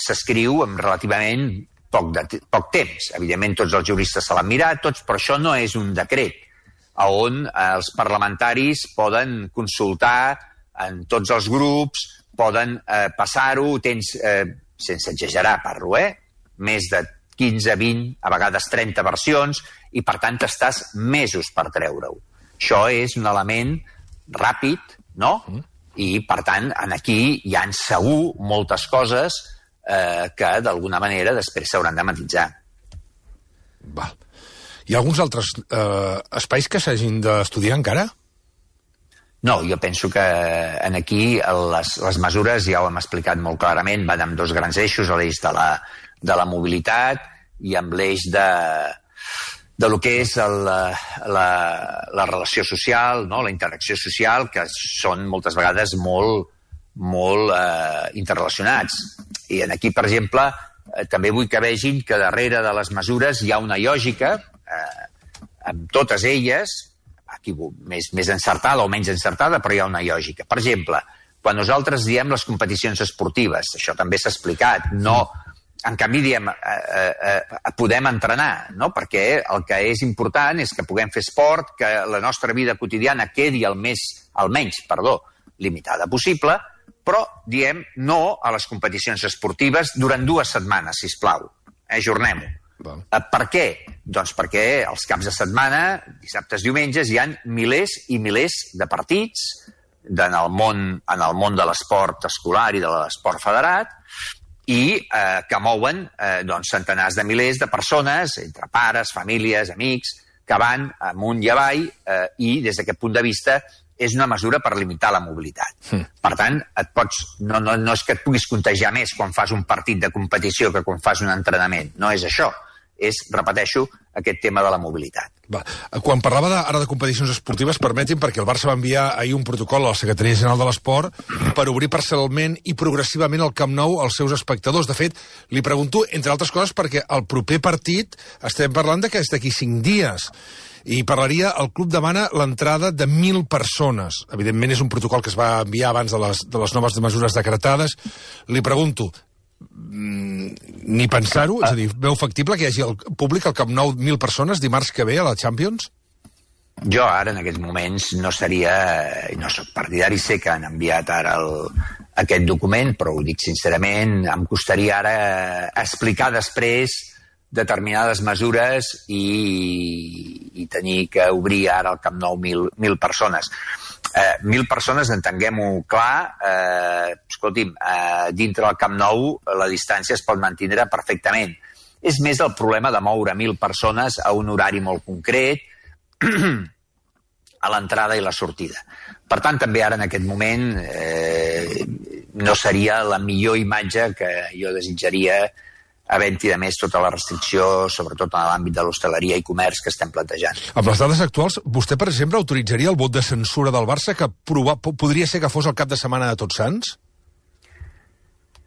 s'escriu amb relativament poc, de, poc temps. Evidentment, tots els juristes se l'han mirat, tots, però això no és un decret on els parlamentaris poden consultar en tots els grups, poden eh, passar-ho, tens, eh, sense exagerar, parlo, eh? més de quinze, vint, a vegades trenta versions, i per tant estàs mesos per treure-ho. Això és un element ràpid, no? Mm. I per tant, aquí hi ha segur moltes coses eh, que d'alguna manera després s'hauran de matisar. Val. Hi ha alguns altres eh, espais que s'hagin d'estudiar encara? No, jo penso que en aquí les, les mesures, ja ho hem explicat molt clarament, van amb dos grans eixos, l'eix de la, de la mobilitat i amb l'eix de, de lo que és el, la, la relació social, no? La interacció social, que són moltes vegades molt, molt eh, interrelacionats. I en aquí, per exemple, eh, també vull que vegin que darrere de les mesures hi ha una lògica, eh, amb totes elles, aquí més, més encertada o menys encertada, però hi ha una lògica. Per exemple, quan nosaltres diem les competicions esportives, això també s'ha explicat, no, en canvi diem eh, eh, podem entrenar, no? Perquè el que és important és que puguem fer esport, que la nostra vida quotidiana quedi el més, almenys, perdó, limitada possible, però diem no a les competicions esportives durant dues setmanes, sisplau. Eh, ajornem-ho. Val. Per què? Doncs perquè els caps de setmana, dissabtes, diumenges, hi ha milers i milers de partits en el món, en el món de l'esport escolar i de l'esport federat i eh, que mouen eh, doncs, centenars de milers de persones, entre pares, famílies, amics, que van amunt i avall eh, i des d'aquest punt de vista és una mesura per limitar la mobilitat. Mm. Per tant, et pots, no, no, no és que et puguis contagiar més quan fas un partit de competició que quan fas un entrenament. No és això. És, repeteixo, aquest tema de la mobilitat. Va. Quan parlava de, ara de competicions esportives, permetin, perquè el Barça va enviar ahir un protocol a la Secretaria General de l'Esport per obrir parcialment i progressivament el Camp Nou als seus espectadors. De fet, li pregunto, entre altres coses, perquè el proper partit estem parlant de que és d'aquí cinc dies. I parlaria, el club demana l'entrada de mil persones. Evidentment és un protocol que es va enviar abans de les, de les noves mesures decretades. Li pregunto, ni pensar-ho? És a dir, veu factible que hi hagi el públic al Camp Nou mil persones dimarts que ve a la Champions? Jo ara, en aquests moments, no seria... No soc partidari, sé que han enviat ara el, aquest document, però ho dic sincerament, em costaria ara explicar després determinades mesures i, i tenir que obrir ara al Camp Nou mil, mil persones. Eh, mil persones, entenguem-ho clar, eh, escolti'm, eh, dintre del Camp Nou la distància es pot mantenir perfectament. És més el problema de moure mil persones a un horari molt concret, a l'entrada i la sortida. Per tant, també ara en aquest moment eh, no seria la millor imatge que jo desitjaria havent-hi, a més, tota la restricció, sobretot en l'àmbit de l'hostaleria i comerç que estem plantejant. Amb les dades actuals, vostè, per exemple, autoritzaria el vot de censura del Barça, que prova, podria ser que fos el cap de setmana de Tots Sants?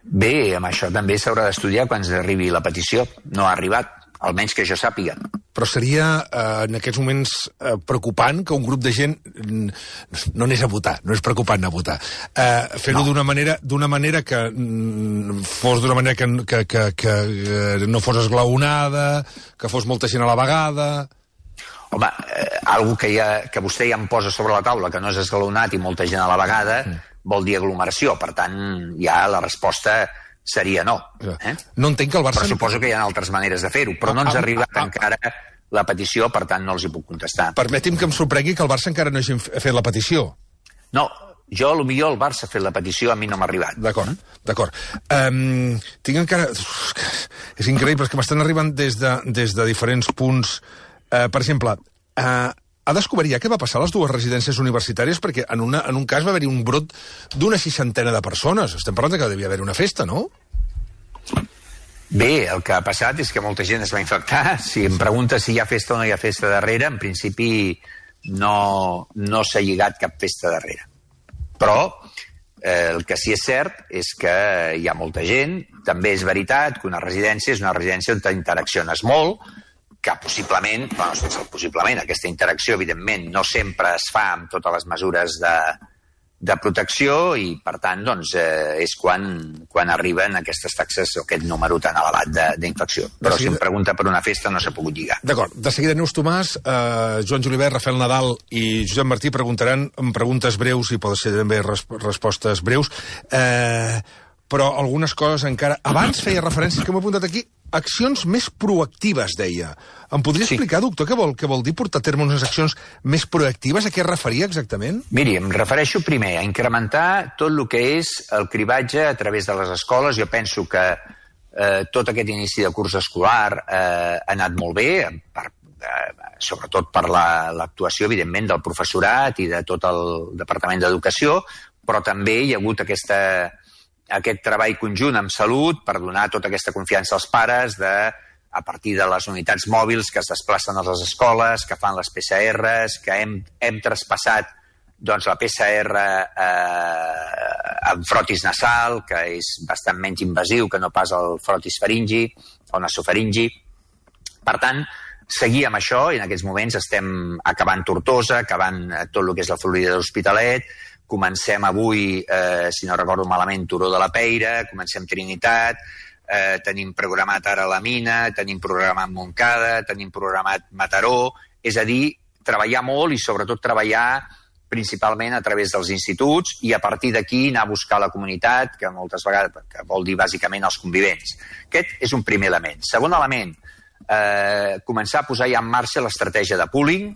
Bé, amb això també s'haurà d'estudiar quan arribi la petició. No ha arribat, almenys que jo sàpiga. Però seria, eh, en aquests moments, eh, preocupant que un grup de gent no anés a votar, no és preocupant anar a votar. Eh, Fer-ho no. d'una manera, d'una manera que mm, fos d'una manera que, que, que, que no fos esglaonada, que fos molta gent a la vegada... Home, eh, algo que, ja, que vostè ja em posa sobre la taula, que no és esglaonat i molta gent a la vegada, mm. vol dir aglomeració. Per tant, ja la resposta seria no. Eh? No entenc que el Barça... Però suposo que hi ha altres maneres de fer-ho, però no ens ha arribat ah, ah, encara la petició, per tant no els hi puc contestar. Permeti'm que em sorprengui que el Barça encara no hagi fet la petició. No, jo, potser el Barça ha fet la petició, a mi no m'ha arribat. D'acord, d'acord. Um, tinc encara... És increïble, és que m'estan arribant des de, des de diferents punts. Uh, per exemple, uh, ha descobert ja què va passar a les dues residències universitàries? Perquè en, una, en un cas va haver-hi un brot d'una seixantena de persones. Estem parlant que devia haver una festa, no? Bé, el que ha passat és que molta gent es va infectar. Si em pregunta si hi ha festa o no hi ha festa darrere, en principi no, no s'ha lligat cap festa darrere. Però eh, el que sí és cert és que hi ha molta gent. També és veritat que una residència és una residència on t'interacciones molt que possiblement, bueno, sense el possiblement, aquesta interacció, evidentment, no sempre es fa amb totes les mesures de, de protecció i, per tant, doncs, eh, és quan, quan arriben aquestes taxes o aquest número tan elevat d'infecció. Però seguida... si em pregunta per una festa no s'ha pogut lligar. D'acord. De seguida, Neus Tomàs, eh, Joan Julivert, Rafael Nadal i Josep Martí preguntaran amb preguntes breus i poden ser també res respostes breus, eh, però algunes coses encara... Abans feia referència, que m'he apuntat aquí, accions més proactives, deia. Em podria sí. explicar, doctor, què vol, què vol dir portar a terme unes accions més proactives? A què es referia exactament? Miri, em refereixo primer a incrementar tot el que és el cribatge a través de les escoles. Jo penso que eh, tot aquest inici de curs escolar eh, ha anat molt bé, per, eh, sobretot per l'actuació, la, evidentment, del professorat i de tot el Departament d'Educació, però també hi ha hagut aquesta... aquest treball conjunt amb Salut per donar tota aquesta confiança als pares de, a partir de les unitats mòbils que es desplacen a les escoles, que fan les P C Rs, que hem, hem traspassat doncs, la P C R eh, amb frotis nasal, que és bastant menys invasiu que no pas el frotis faringi o nasofaringi. Per tant, seguir amb això, i en aquests moments estem acabant Tortosa, acabant tot el que és la Florida de l'Hospitalet, comencem avui, eh, si no recordo malament, Turó de la Peira, comencem Trinitat, eh, tenim programat ara la Mina, tenim programat Montcada, tenim programat Mataró, és a dir, treballar molt i sobretot treballar principalment a través dels instituts i a partir d'aquí anar a buscar la comunitat, que moltes vegades que vol dir bàsicament els convivents. Aquest és un primer element. Segon element, eh, començar a posar ja en marxa l'estratègia de pooling,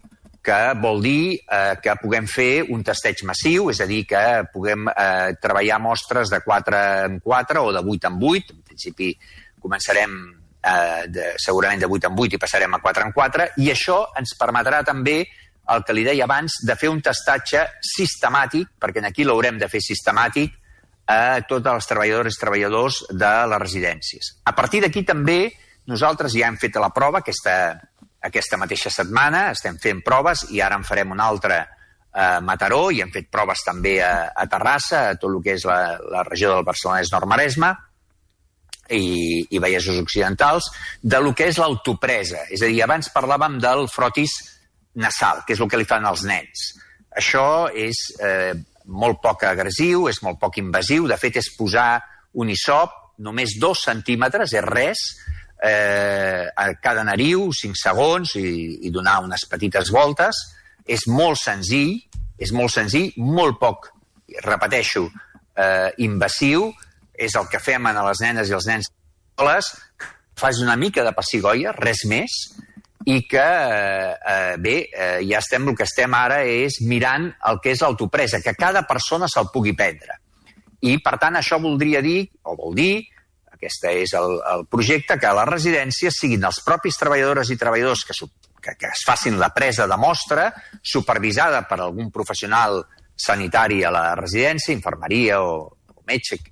que vol dir eh, que puguem fer un testeig massiu, és a dir, que puguem eh, treballar mostres de quatre en quatre o de vuit en vuit. En principi començarem eh, de, segurament de vuit en vuit i passarem a quatre en quatre, i això ens permetrà també, el que li deia abans, de fer un testatge sistemàtic, perquè aquí l'haurem de fer sistemàtic, a tots els treballadors i treballadors de les residències. A partir d'aquí també nosaltres ja hem fet la prova, aquesta... Aquesta mateixa setmana estem fent proves i ara en farem una altra a Mataró i hem fet proves també a, a Terrassa, a tot el que és la, la regió del Barcelonès-Nord-Maresme i, i Vallesos Occidentals, de lo que és l'autopresa. És a dir, abans parlàvem del frotis nasal, que és el que li fan als nens. Això és eh, molt poc agressiu, és molt poc invasiu, de fet és posar un hisop, només dos centímetres, és res, Eh, a cada nariu, cinc segons, i, i donar unes petites voltes. És molt senzill, és molt senzill, molt poc, repeteixo, eh, invasiu, és el que fem a les nenes i els nens escoles, fas una mica de pessigolles, res més, i que, eh, bé, eh, ja estem, el que estem ara és mirant el que és l'autopresa, que cada persona se'l pugui prendre. I, per tant, això voldria dir, o vol dir, aquest és el, el projecte, que a les residències siguin els propis treballadores i treballadors que, que, que es facin la presa de mostra, supervisada per algun professional sanitari a la residència, infermeria o, o metge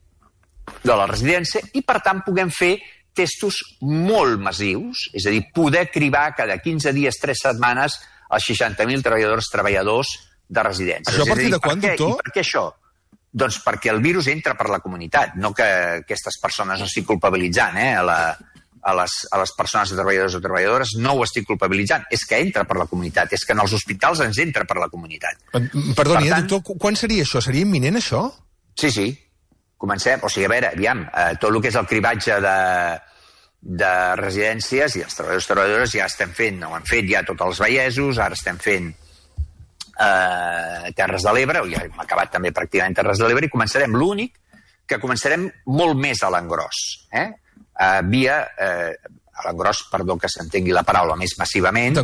de la residència, i per tant puguem fer testos molt massius, és a dir, poder cribar cada quinze dies, tres setmanes, els seixanta mil treballadors treballadors de residències. Això a partir de quan, doctor? I per què això? Doncs perquè el virus entra per la comunitat, no que aquestes persones, no estic culpabilitzant eh, a, la, a, les, a les persones de treballadors o treballadores, no ho estic culpabilitzant, és que entra per la comunitat, és que en els hospitals ens entra per la comunitat. Perdoni, per tant, eh, doctor, quan seria això? Seria imminent, això? Sí, sí, comencem, o sigui, a veure, aviam, eh, tot el que és el cribatge de, de residències i els treballadors i treballadores ja estem fent, ho hem fet ja tots els vallesos, ara estem fent Uh, Terres de l'Ebre, ja hem acabat també pràcticament Terres de l'Ebre, i començarem l'únic que començarem molt més a l'engròs, eh? uh, via uh, a l'engròs, perdó que s'entengui la paraula, més massivament,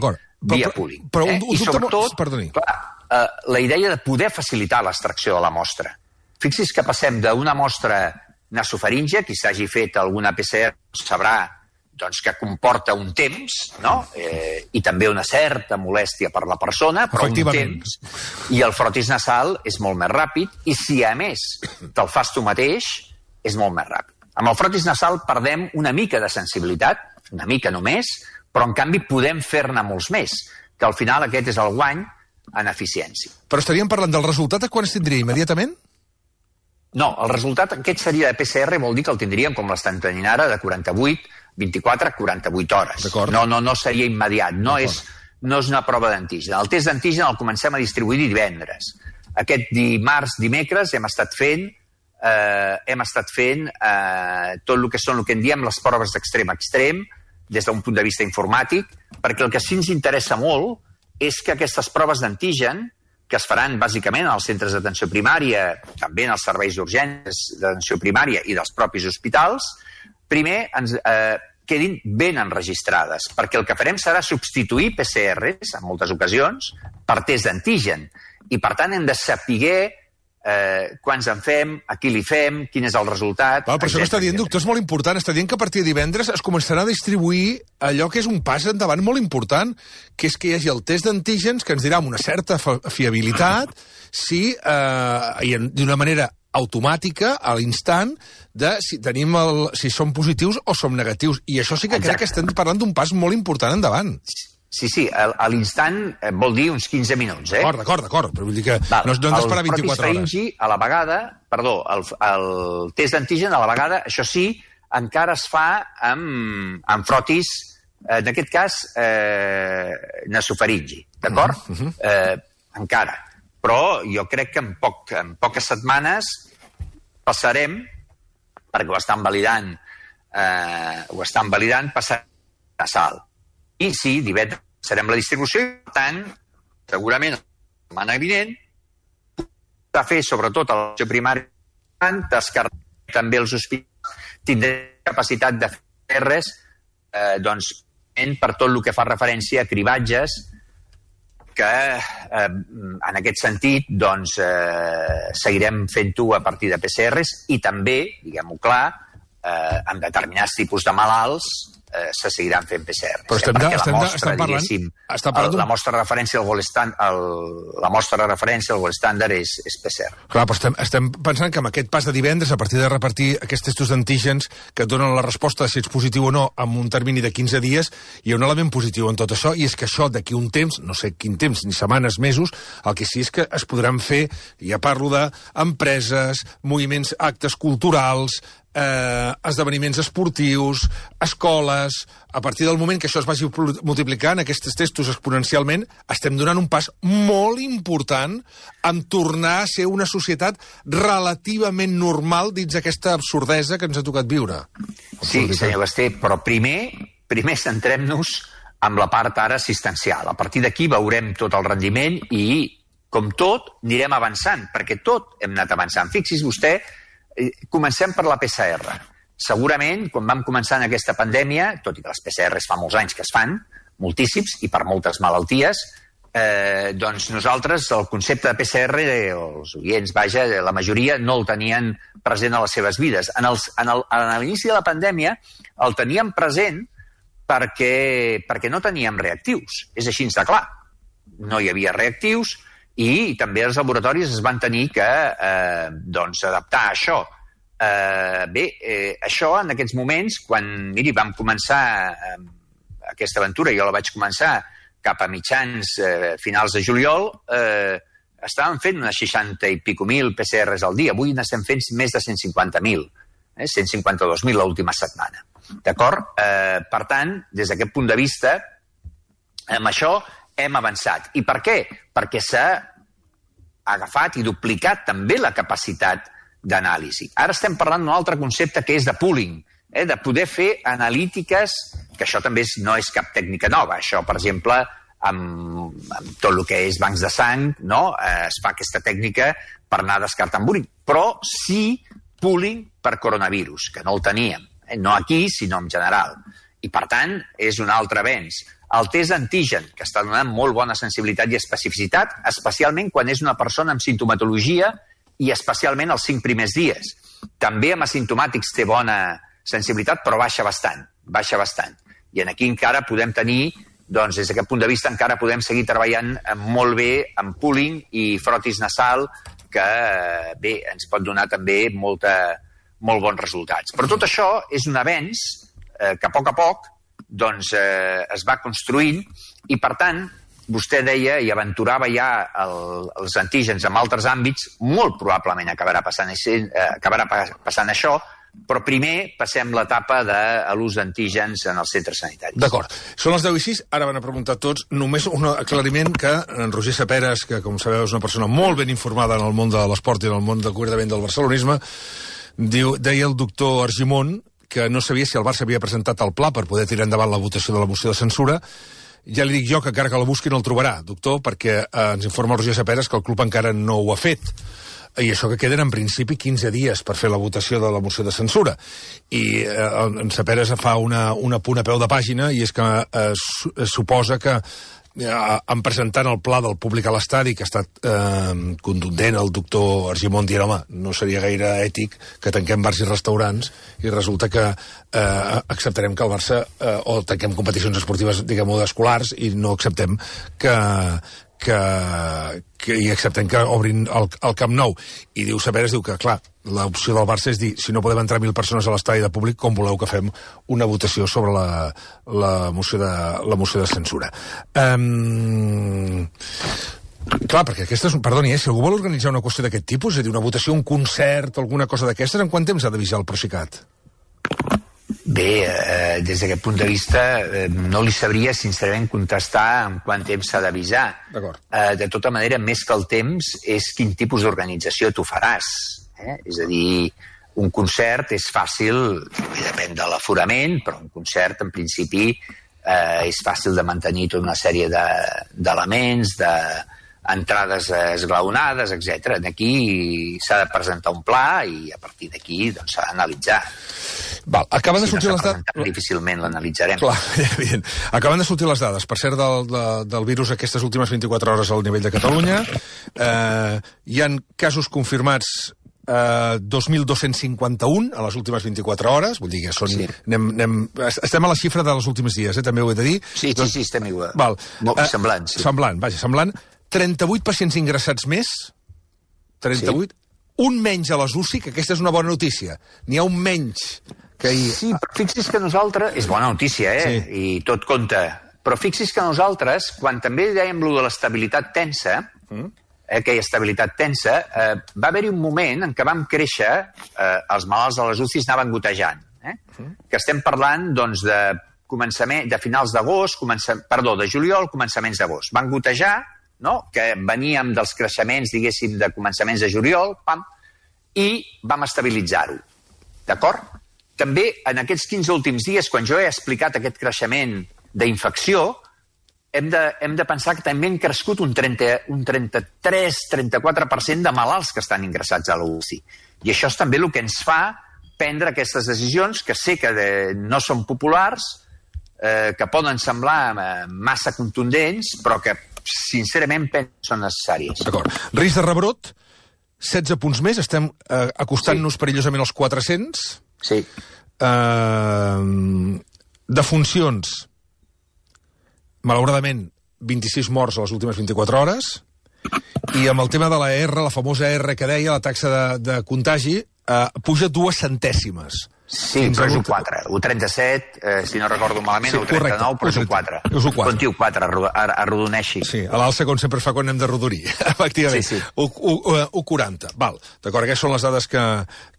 via pooling. Però, eh? un, un I sobretot, perdoni. clar, uh, la idea de poder facilitar l'extracció de la mostra. Fixi's que passem d'una mostra nasofaríngia, qui s'hagi fet alguna P C R sabrà doncs, que comporta un temps, no? eh, i també una certa molèstia per la persona, però un temps, i el frotis nasal és molt més ràpid, i si a més te'l fas tu mateix, és molt més ràpid. Amb el frotis nasal perdem una mica de sensibilitat, una mica només, però en canvi podem fer-ne molts més, que al final aquest és el guany en eficiència. Però estaríem parlant del resultat, a quan es tindria? Immediatament? No, el resultat aquest seria de P C R, vol dir que el tindríem com l'estan tenint ara, de quaranta-vuit, vint-i-quatre, quaranta-vuit hores. No, no, no seria immediat, no és, no és una prova d'antigen. El test d'antigen el comencem a distribuir divendres. Aquest dimarts, dimecres, hem estat fent, eh, hem estat fent eh, tot el que són el que en diem les proves d'extrem a extrem, des d'un punt de vista informàtic, perquè el que sí ens interessa molt és que aquestes proves d'antigen, que es faran bàsicament als centres d'atenció primària, també en els serveis d'urgències d'atenció primària i dels propis hospitals, primer ens eh, quedin ben enregistrades, perquè el que farem serà substituir P C Rs, en moltes ocasions, per test d'antigen. I, per tant, hem de saber eh, quants en fem, a qui li fem, quin és el resultat... Val, però això que està dient, doctor, és molt important. Està dient que a partir de divendres es començarà a distribuir allò que és un pas endavant molt important, que és que hi hagi el test d'antígens que ens dirà amb una certa fiabilitat si, eh, d'una manera automàtica, a l'instant, de si tenim el, si som positius o som negatius. I això sí que Exacte. Crec que estem parlant d'un pas molt important endavant. Sí, sí, a l'instant vol dir uns quinze minuts, eh? D'acord, d'acord, d'acord, però vull dir que Val. no, no hem d'esperar vint-i-quatre hores. El a la vegada, perdó, el, el test d'antigen a la vegada, això sí, encara es fa amb, amb frotis, en aquest cas, eh, nasofaringi, d'acord? Uh -huh. eh, encara. Però jo crec que en, poc, en poques setmanes passarem, perquè ho estan validant, eh, ho estan validant, passarem a sal. I sí, divendres serem la distribució i, per tant, segurament la setmana vinent de fer, sobretot, a l'atenció primària, descartar també els hospitals, tindrem capacitat de fer res, eh, doncs, per tot el que fa referència a cribatges, que eh, en aquest sentit doncs, eh, seguirem fent-ho a partir de P C Rs i també, diguem-ho clar, eh, amb determinats tipus de malalts eh, se seguiran fent P C Rs. Però estem, eh, de, estem, mostra, estem parlant... Estem parlant el, la mostra de referència al gold standard, la mostra de referència al gold standard és, és P C R. Clar, però estem, estem pensant que amb aquest pas de divendres, a partir de repartir aquests testos d'antígens que et donen la resposta de si ets positiu o no en un termini de quinze dies, hi ha un element positiu en tot això, i és que això d'aquí un temps, no sé quin temps, ni setmanes, mesos, el que sí és que es podran fer, ja parlo d'empreses, moviments, actes culturals, eh, esdeveniments esportius, escoles... A partir del moment que això es vagi multiplicant, aquests testos exponencialment, estem donant un pas molt important en tornar a ser una societat relativament normal dins aquesta absurdesa que ens ha tocat viure. Sí, senyor Basté, però primer, primer centrem-nos en la part ara assistencial. A partir d'aquí veurem tot el rendiment i, com tot, anirem avançant, perquè tot hem anat avançant. Fixi's vostè, eh, comencem per la P C R. Segurament, quan vam començar en aquesta pandèmia, tot i que les P C Rs fa molts anys que es fan, moltíssims, i per moltes malalties, eh, doncs nosaltres el concepte de P C R, els oients, vaja, la majoria no el tenien present a les seves vides. En, els, en, el, en l'inici de la pandèmia el teníem present perquè, perquè no teníem reactius. És així de clar. No hi havia reactius i també els laboratoris es van tenir que eh, doncs, adaptar a això. Uh, bé, eh, això en aquests moments, quan, miri, vam començar eh, aquesta aventura, jo la vaig començar cap a mitjans, eh, finals de juliol, eh, estàvem fent unes seixanta i pico mil P C Rs al dia. Avui n'estem fent més de cent cinquanta mil, eh, cent cinquanta-dos mil l'última setmana. D'acord? Eh, per tant, des d'aquest punt de vista, amb això hem avançat. I per què? Perquè s'ha agafat i duplicat també la capacitat d'anàlisi. Ara estem parlant d'un altre concepte que és de pooling, eh, de poder fer analítiques, que això també és, no és cap tècnica nova. Això, per exemple, amb, amb tot el que és bancs de sang, no? eh, es fa aquesta tècnica per anar descartant pooling, però sí pooling per coronavirus, que no el teníem, eh? No aquí, sinó en general. I, per tant, és un altre avenç. El test d'antigen, que està donant molt bona sensibilitat i especificitat, especialment quan és una persona amb sintomatologia i especialment els cinc primers dies. També amb asimptomàtics té bona sensibilitat, però baixa bastant, baixa bastant. I aquí encara podem tenir, doncs des d'aquest punt de vista encara podem seguir treballant molt bé amb pooling i frotis nasal, que bé, ens pot donar també molta, molt bons resultats. Però tot això és un avenç eh, que a poc a poc doncs, eh, es va construint i, per tant, vostè deia i aventurava ja el, els antígens en altres àmbits, molt probablement acabarà passant, eh, acabarà passant això, però primer passem l'etapa de l'ús d'antígens en els centres sanitaris. D'acord. Són les deu i sis, ara van a preguntar tots. Només un aclariment que en Roger Saperas, que com sabeu és una persona molt ben informada en el món de l'esport i en el món del concretament del barcelonisme, diu, deia el doctor Argimon que no sabia si el Barça havia presentat el pla per poder tirar endavant la votació de la moció de censura. Ja li dic jo que encara que la busqui no el trobarà, doctor, perquè eh, ens informa el Roger Saperas que el club encara no ho ha fet. I això que queden en principi quinze dies per fer la votació de la moció de censura. I eh, en Saperas fa una, una punt a peu de pàgina i és que eh, su suposa que eh, en presentant el pla del públic a l'estadi, que ha estat eh, contundent el doctor Argimon dient, home, no seria gaire ètic que tanquem bars i restaurants i resulta que eh, acceptarem que el Barça eh, o tanquem competicions esportives, diguem-ho, escolars i no acceptem que que, que i acceptem que obrin el, el Camp Nou. I diu Saperas, diu que, clar, l'opció del Barça és dir, si no podem entrar mil persones a l'estadi de públic, com voleu que fem una votació sobre la, la, moció, de, la moció de censura. Um, clar, perquè aquesta és... Perdoni, eh, si algú vol organitzar una qüestió d'aquest tipus, és a dir, una votació, un concert, alguna cosa d'aquestes, en quant temps ha d'avisar el Procicat? Bé, eh, des d'aquest punt de vista eh, no li sabria sincerament contestar en quant temps s'ha d'avisar. Eh, de tota manera, més que el temps, és quin tipus d'organització tu faràs. Eh? És a dir, un concert és fàcil, depèn de l'aforament, però un concert, en principi, eh, és fàcil de mantenir tota una sèrie d'elements, de, entrades esglaonades, etcètera. Aquí s'ha de presentar un pla i a partir d'aquí doncs, s'ha d'analitzar. Val, acaben de si sortir no les dades... Difícilment l'analitzarem. Clar, evident. Acaben de sortir les dades, per cert, del, de, del virus aquestes últimes vint-i-quatre hores al nivell de Catalunya. Eh, hi han casos confirmats eh, dos mil dos-cents cinquanta-un a les últimes vint-i-quatre hores, vull dir que són... Sí. Anem, anem, estem a la xifra dels últims dies, eh, també ho he de dir. Sí, sí, sí, estem igual. Val. Molt eh, semblant, sí. Semblant, vaja, semblant. trenta-vuit pacients ingressats més, trenta-vuit, sí. Un menys a les U C I, que aquesta és una bona notícia. N'hi ha un menys que ahir... Sí, però fixi's que nosaltres... És bona notícia, eh? Sí. I tot compta. Però fixi's que nosaltres, quan també dèiem lo de l'estabilitat tensa, mm. eh, aquella estabilitat tensa, eh, va haver-hi un moment en què vam créixer, eh, els malalts de les U C Is anaven gotejant. Eh? Mm. Que estem parlant, doncs, de començament, de finals d'agost, perdó, de juliol, començaments d'agost. Van gotejar, no? Que veníem dels creixements, diguéssim, de començaments de juliol, pam, i vam estabilitzar-ho. D'acord? També en aquests quinze últims dies, quan jo he explicat aquest creixement d'infecció, hem de, hem de pensar que també han crescut un, trenta, un trenta-tres a trenta-quatre per cent de malalts que estan ingressats a la U C I. I això és també el que ens fa prendre aquestes decisions, que sé que de, no són populars, eh, que poden semblar eh, massa contundents, però que sincerament són necessàries. D'acord. Risc de rebrot, setze punts més, estem eh, acostant-nos sí. perillosament als quatre-cents. Sí. Eh, defuncions, malauradament, vint-i-sis morts a les últimes vint-i-quatre hores, i amb el tema de la R, la famosa R que deia, la taxa de, de contagi, eh, puja dues centèsimes. Sí, però és u quatre. u trenta-set, eh, si no recordo malament, sí, u trenta-nou, però és u quatre. És u quatre. Conti u quatre, arrodoneixi. Sí, a l'alça, com sempre fa quan anem de rodorí, efectivament. Sí, sí. u quaranta, val. D'acord, aquestes són les dades que,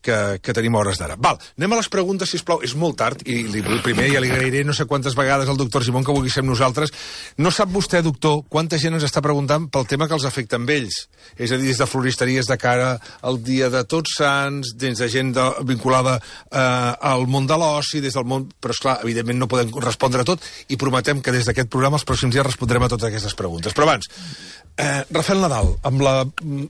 que, que tenim a hores d'ara. Val, anem a les preguntes, sisplau. És molt tard, i li, primer ja li agrairé no sé quantes vegades al doctor Simón que vulgui ser amb nosaltres. No sap vostè, doctor, quanta gent ens està preguntant pel tema que els afecta amb ells? És a dir, des de floristeries de cara al dia de Tots Sants, des de gent de, vinculada eh, al món de l'oci, des del món... Però, esclar, evidentment no podem respondre a tot i prometem que des d'aquest programa els pròxims dies respondrem a totes aquestes preguntes. Però abans, eh, Rafael Nadal, amb la...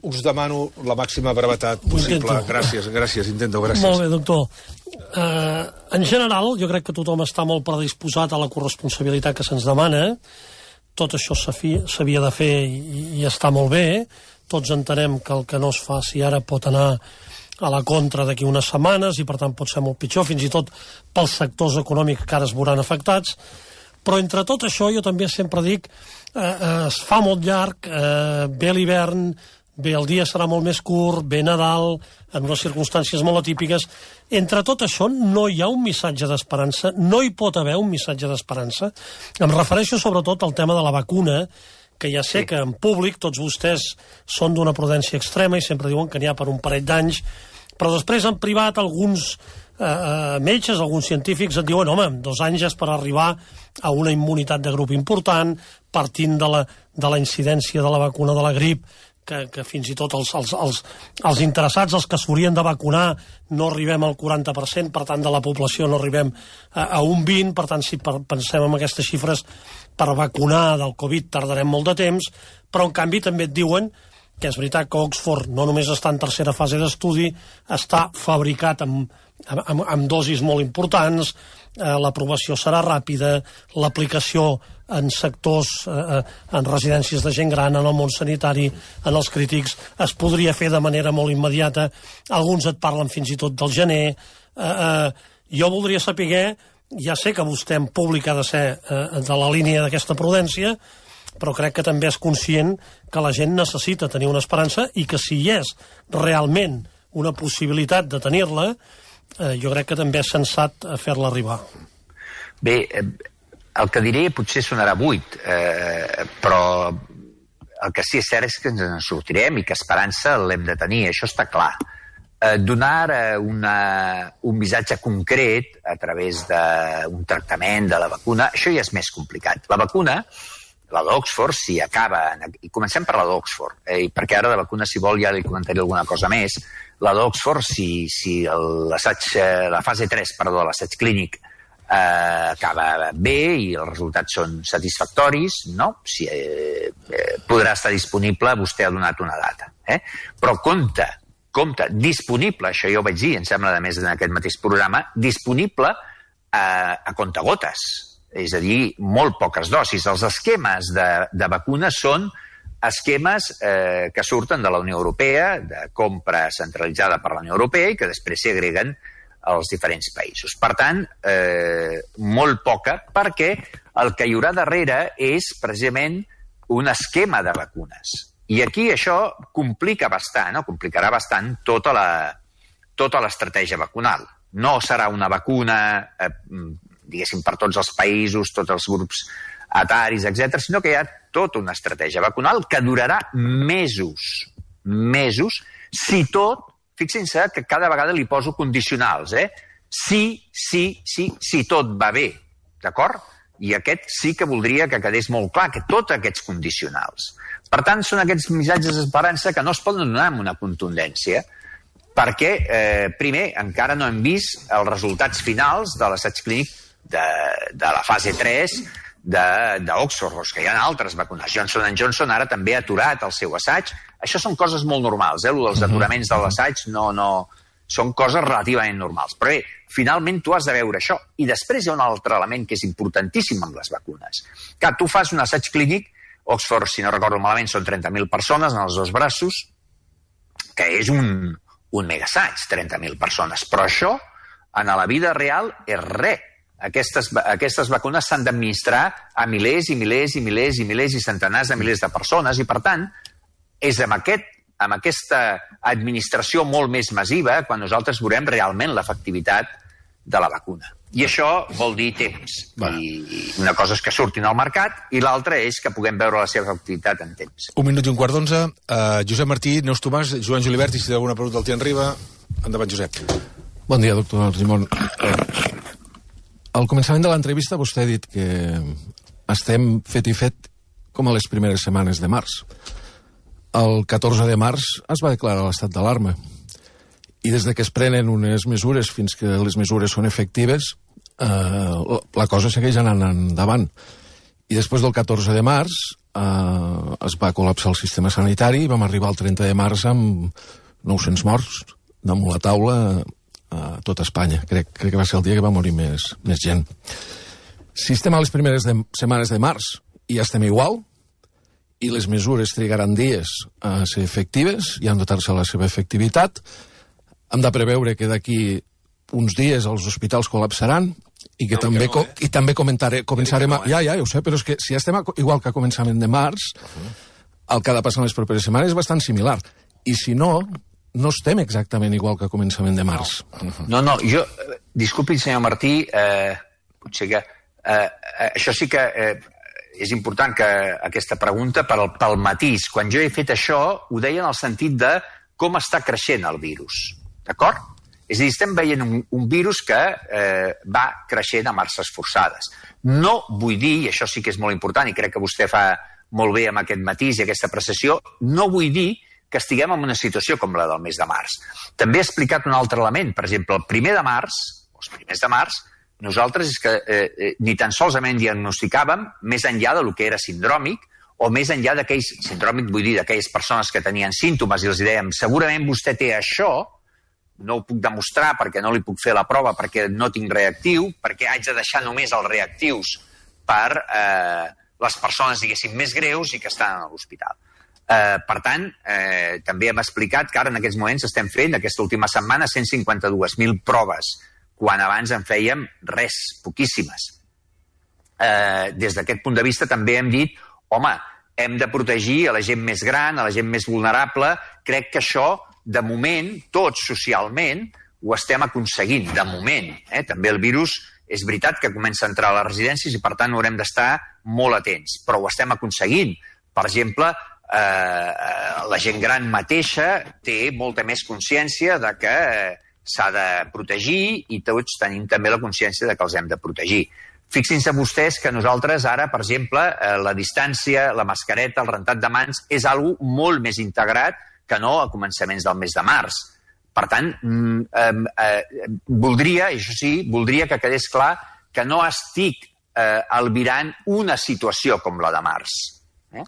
us demano la màxima brevetat possible. Intento. Gràcies, gràcies, intento, gràcies. Molt bé, doctor. Eh, en general, jo crec que tothom està molt predisposat a la corresponsabilitat que se'ns demana. Tot això s'havia de fer i, i està molt bé. Tots entenem que el que no es faci ara pot anar a la contra d'aquí unes setmanes i per tant pot ser molt pitjor, fins i tot pels sectors econòmics que ara es veuran afectats. Però entre tot això jo també sempre dic eh, eh, es fa molt llarg, eh, ve l'hivern, bé el dia serà molt més curt, ve Nadal, en unes circumstàncies molt atípiques. Entre tot això no hi ha un missatge d'esperança, no hi pot haver un missatge d'esperança. Em refereixo sobretot al tema de la vacuna, que ja sé que en públic tots vostès són d'una prudència extrema i sempre diuen que n'hi ha per un parell d'anys, però després en privat alguns eh, metges, alguns científics et diuen, home, dos anys és per arribar a una immunitat de grup important, partint de la, de la incidència de la vacuna de la grip, que, que fins i tot els, els, els, els interessats, els que s'haurien de vacunar, no arribem al quaranta per cent, per tant, de la població no arribem a, a un vint per cent, per tant, si per, pensem en aquestes xifres, per vacunar del Covid tardarem molt de temps, però en canvi també et diuen que és veritat que Oxford no només està en tercera fase d'estudi, està fabricat amb, amb, amb dosis molt importants, eh, l'aprovació serà ràpida, l'aplicació en sectors, eh, en residències de gent gran, en el món sanitari, en els crítics, es podria fer de manera molt immediata. Alguns et parlen fins i tot del gener. Eh, eh, jo voldria saber, ja sé que vostè en públic ha de ser eh, de la línia d'aquesta prudència, però crec que també és conscient que la gent necessita tenir una esperança i que si hi és realment una possibilitat de tenir-la, eh, jo crec que també és sensat fer-la arribar. Bé, el que diré potser sonarà buit, eh, però el que sí és cert és que ens en sortirem i que esperança l'hem de tenir, això està clar. Eh, donar una, un missatge concret a través d'un tractament de la vacuna, això ja és més complicat. La vacuna, la d'Oxford, si acaba... I comencem per la d'Oxford, eh, perquè ara de vacuna, si vol, ja li comentaré alguna cosa més. La d'Oxford, si, si l'assaig, la fase tres, perdó, l'assaig clínic eh, acaba bé i els resultats són satisfactoris, no? Si, eh, eh, podrà estar disponible, vostè ha donat una data. Eh? Però compte, compte, disponible, això ja ho vaig dir, em sembla, a més, en aquest mateix programa, disponible a, a comptagotes. És a dir, molt poques dosis. Els esquemes de, de vacunes són esquemes eh, que surten de la Unió Europea, de compra centralitzada per la Unió Europea i que després s'hi agreguen als diferents països. Per tant, eh, molt poca, perquè el que hi haurà darrere és precisament un esquema de vacunes. I aquí això complica bastant, no? Complicarà bastant tota la, tota l'estratègia vacunal. No serà una vacuna... Eh, diguéssim, per tots els països, tots els grups etaris, etcètera, sinó que hi ha tota una estratègia vacunal que durarà mesos, mesos, si tot, fixin-se que cada vegada li poso condicionals, eh? Si, sí, sí, si tot va bé, d'acord? I aquest sí que voldria que quedés molt clar, que tots aquests condicionals. Per tant, són aquests missatges d'esperança que no es poden donar amb una contundència, perquè, eh, primer, encara no hem vist els resultats finals de l'assaig clínic De, de la fase tres d'Oxford, que hi ha altres vacunes. Johnson and Johnson ara també ha aturat el seu assaig. Això són coses molt normals, eh? Els aturaments de l'assaig no, no, són coses relativament normals. Però bé, finalment tu has de veure això. I després hi ha un altre element que és importantíssim amb les vacunes. Que tu fas un assaig clínic, Oxford, si no recordo malament, són trenta mil persones en els dos braços, que és un, un megassaig, trenta mil persones. Però això, en la vida real, és res. Aquestes, aquestes vacunes s'han d'administrar a milers i milers i milers i milers i centenars de milers de persones i, per tant, és amb, aquest, amb aquesta administració molt més massiva quan nosaltres veurem realment l'efectivitat de la vacuna. I això vol dir temps. I una cosa és que surtin al mercat i l'altra és que puguem veure la seva efectivitat en temps. Un minut i un quart d'onze. Uh, Josep Martí, Neus Tomàs, Joan Julivert, i si té alguna pregunta el té en riba. Endavant, Josep. Bon dia, doctor Argimon. Al començament de l'entrevista vostè ha dit que estem fet i fet com a les primeres setmanes de març. El catorze de març es va declarar l'estat d'alarma i des de que es prenen unes mesures fins que les mesures són efectives, eh, la cosa segueix anant endavant. I després del catorze de març eh, es va col·lapsar el sistema sanitari i vam arribar al trenta de març amb nou-cents morts damunt la taula a tot Espanya. Crec, crec que va ser el dia que va morir més, més gent. Si estem a les primeres de, setmanes de març i ja estem igual, i les mesures trigaran dies a ser efectives i han dotar-se la seva efectivitat, hem de preveure que d'aquí uns dies els hospitals col·lapsaran i que no, també, que no, eh? i també comentaré, començarem a... Ja, ja, ja ho sé, però és que si estem a, igual que a començament de març, uh-huh. el que ha de passar en les properes setmanes és bastant similar. I si no... no estem exactament igual que a començament de març. No, no, jo... Disculpi, senyor Martí, eh, potser que... Eh, això sí que... Eh, és important que aquesta pregunta pel, pel matís. Quan jo he fet això, ho deia en el sentit de com està creixent el virus. D'acord? És a dir, estem veient un, un virus que eh, va creixent a marxes forçades. No vull dir, i això sí que és molt important, i crec que vostè fa molt bé amb aquest matís i aquesta apreciació, no vull dir que estiguem en una situació com la del mes de març. També he explicat un altre element. Per exemple, el primer de març, o els primers de març, nosaltres és que eh, ni tan solament diagnosticàvem més enllà del que era sindròmic, o més enllà d'aquells, sindròmic vull dir, d'aquelles persones que tenien símptomes i els dèiem, segurament vostè té això, no ho puc demostrar perquè no li puc fer la prova, perquè no tinc reactiu, perquè haig de deixar només els reactius per eh, les persones, diguéssim, més greus i que estan a l'hospital. Eh, per tant, eh, també hem explicat que ara en aquests moments estem fent, aquesta última setmana, cent cinquanta-dues mil proves, quan abans en fèiem res, poquíssimes. Eh, des d'aquest punt de vista també hem dit, home, hem de protegir a la gent més gran, a la gent més vulnerable. Crec que això, de moment, tots socialment, ho estem aconseguint, de moment. Eh? També el virus és veritat que comença a entrar a les residències i, per tant, haurem d'estar molt atents, però ho estem aconseguint. Per exemple, eh, la gent gran mateixa té molta més consciència de que eh, s'ha de protegir i tots tenim també la consciència de que els hem de protegir. Fixin-se vostès que nosaltres ara, per exemple, eh, la distància, la mascareta, el rentat de mans, és algo molt més integrat que no a començaments del mes de març. Per tant, eh, eh, voldria, això sí, voldria que quedés clar que no estic eh, albirant una situació com la de març. Eh?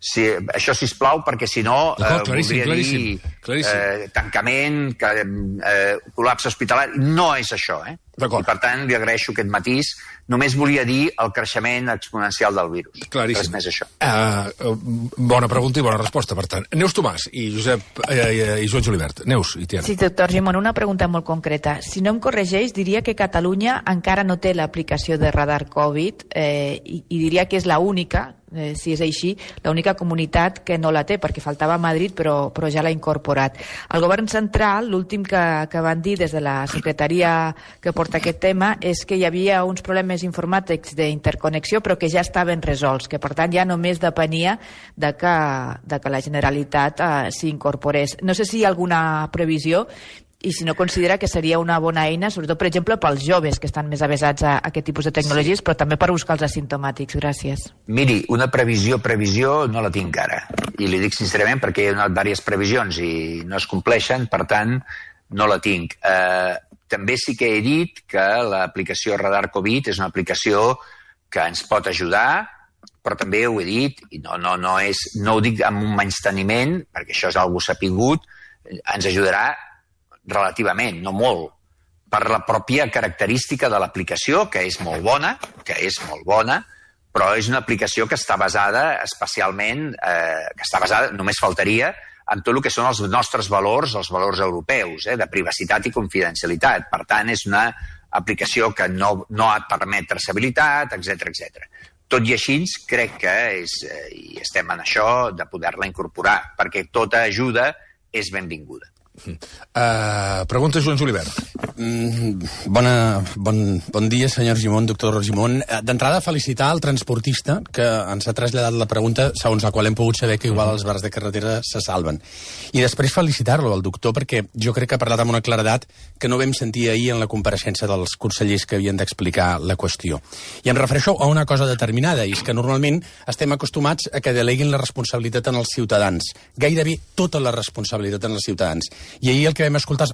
Sí, això, sisplau, perquè si no eh, voldria dir eh, tancament, que, eh, col·lapse hospitalari. No és això, eh? I, per tant, li agraeixo aquest matís. Només volia dir el creixement exponencial del virus. Claríssim. Res més això. Uh, bona pregunta i bona resposta, per tant. Neus Tomàs i Josep eh, i Joan Julivert. Neus i Tiana. Sí, doctor Gimón, una pregunta molt concreta. Si no em corregeix, diria que Catalunya encara no té l'aplicació de radar Covid eh, i, i diria que és la única, eh, si és així, l'única comunitat que no la té, perquè faltava a Madrid, però, però ja l'ha incorporat. El govern central, l'últim que, que van dir des de la secretaria que porta aquest tema, és que hi havia uns problemes informàtics d'interconnexió, però que ja estaven resolts, que per tant ja només depenia de que, de que la Generalitat eh, s'hi incorporés. No sé si hi ha alguna previsió i si no considera que seria una bona eina, sobretot, per exemple, pels joves que estan més avesats a aquest tipus de tecnologies, sí, però també per buscar els asimptomàtics. Gràcies. Miri, una previsió, previsió, no la tinc ara. I li dic sincerament perquè hi ha donat diverses previsions i no es compleixen, per tant, no la tinc. Eh, també sí que he dit que l'aplicació Radar Covid és una aplicació que ens pot ajudar, però també ho he dit, i no, no, no, és, no ho dic amb un menysteniment, perquè això és algo sapigut, ens ajudarà relativament, no molt, per la pròpia característica de l'aplicació, que és molt bona, que és molt bona, però és una aplicació que està basada especialment, eh, que està basada, només faltaria, en tot el que són els nostres valors, els valors europeus, eh, de privacitat i confidencialitat. Per tant, és una aplicació que no, no et permet traçabilitat, etcètera, etcètera. Tot i així, crec que és, eh, i estem en això, de poder-la incorporar, perquè tota ajuda és benvinguda. Uh, pregunta Joan Julivert. Mm, bona, bon, bon dia, senyor Gimón, doctor Gimón. D'entrada, felicitar el transportista que ens ha traslladat la pregunta segons la qual hem pogut saber que igual els bars de carretera se salven. I després felicitar-lo, el doctor, perquè jo crec que ha parlat amb una claredat que no vam sentir ahir en la compareixença dels consellers que havien d'explicar la qüestió. I em refereixo a una cosa determinada, i és que normalment estem acostumats a que deleguin la responsabilitat en els ciutadans, gairebé tota la responsabilitat en els ciutadans. I ahir el que vam escoltar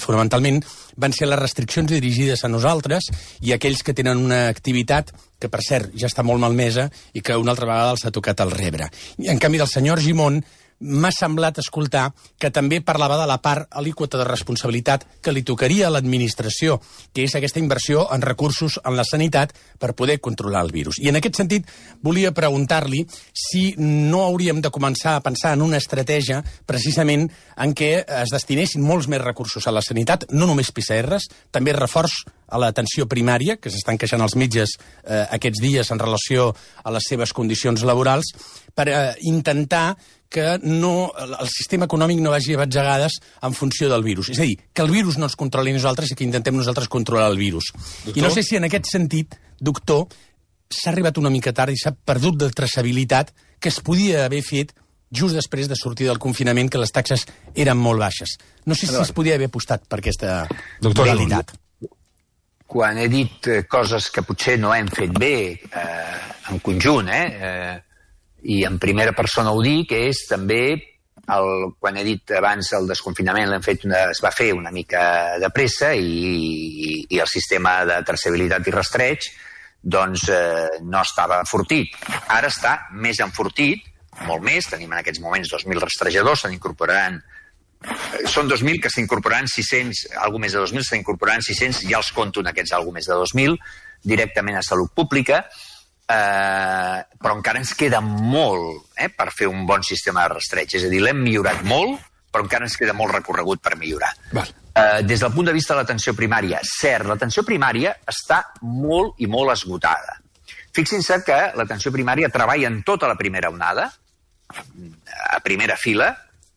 fonamentalment van ser les restriccions dirigides a nosaltres i a aquells que tenen una activitat que, per cert, ja està molt malmesa i que una altra vegada els ha tocat el rebre. I, en canvi, del senyor Gimón m'ha semblat escoltar que també parlava de la part alíquota de responsabilitat que li tocaria a l'administració, que és aquesta inversió en recursos en la sanitat per poder controlar el virus. I en aquest sentit volia preguntar-li si no hauríem de començar a pensar en una estratègia precisament en què es destinessin molts més recursos a la sanitat, no només P C Rs, també reforç a l'atenció primària, que s'estan queixant els metges eh, aquests dies en relació a les seves condicions laborals, per eh, intentar que no, el sistema econòmic no vagi a batzegades en funció del virus. És a dir, que el virus no ens controli nosaltres i que intentem nosaltres controlar el virus. Doctor? I no sé si en aquest sentit, doctor, s'ha arribat una mica tard i s'ha perdut de traçabilitat que es podia haver fet just després de sortir del confinament, que les taxes eren molt baixes. No sé si es podia haver apostat per aquesta realitat. Quan he dit coses que potser no hem fet bé eh, en conjunt, eh, eh, i en primera persona ho dic, és també, el, quan he dit abans el desconfinament l'hem fet una, es va fer una mica de pressa i, i, i el sistema de traçabilitat i rastreig doncs eh, no estava enfortit. Ara està més enfortit, molt més, tenim en aquests moments dos mil rastrejadors, se n'incorporaran, són dos mil que s'incorporaran sis cents, alguna més de dos mil, s'incorporaran sis cents, ja els compto en aquests alguna més de dos mil, directament a Salut Pública, eh, però encara ens queda molt eh, per fer un bon sistema de rastreig. És a dir, l'hem millorat molt, però encara ens queda molt recorregut per millorar. Val. Eh, des del punt de vista de l'atenció primària, cert, l'atenció primària està molt i molt esgotada. Fixin-se que l'atenció primària treballa en tota la primera onada, a primera fila,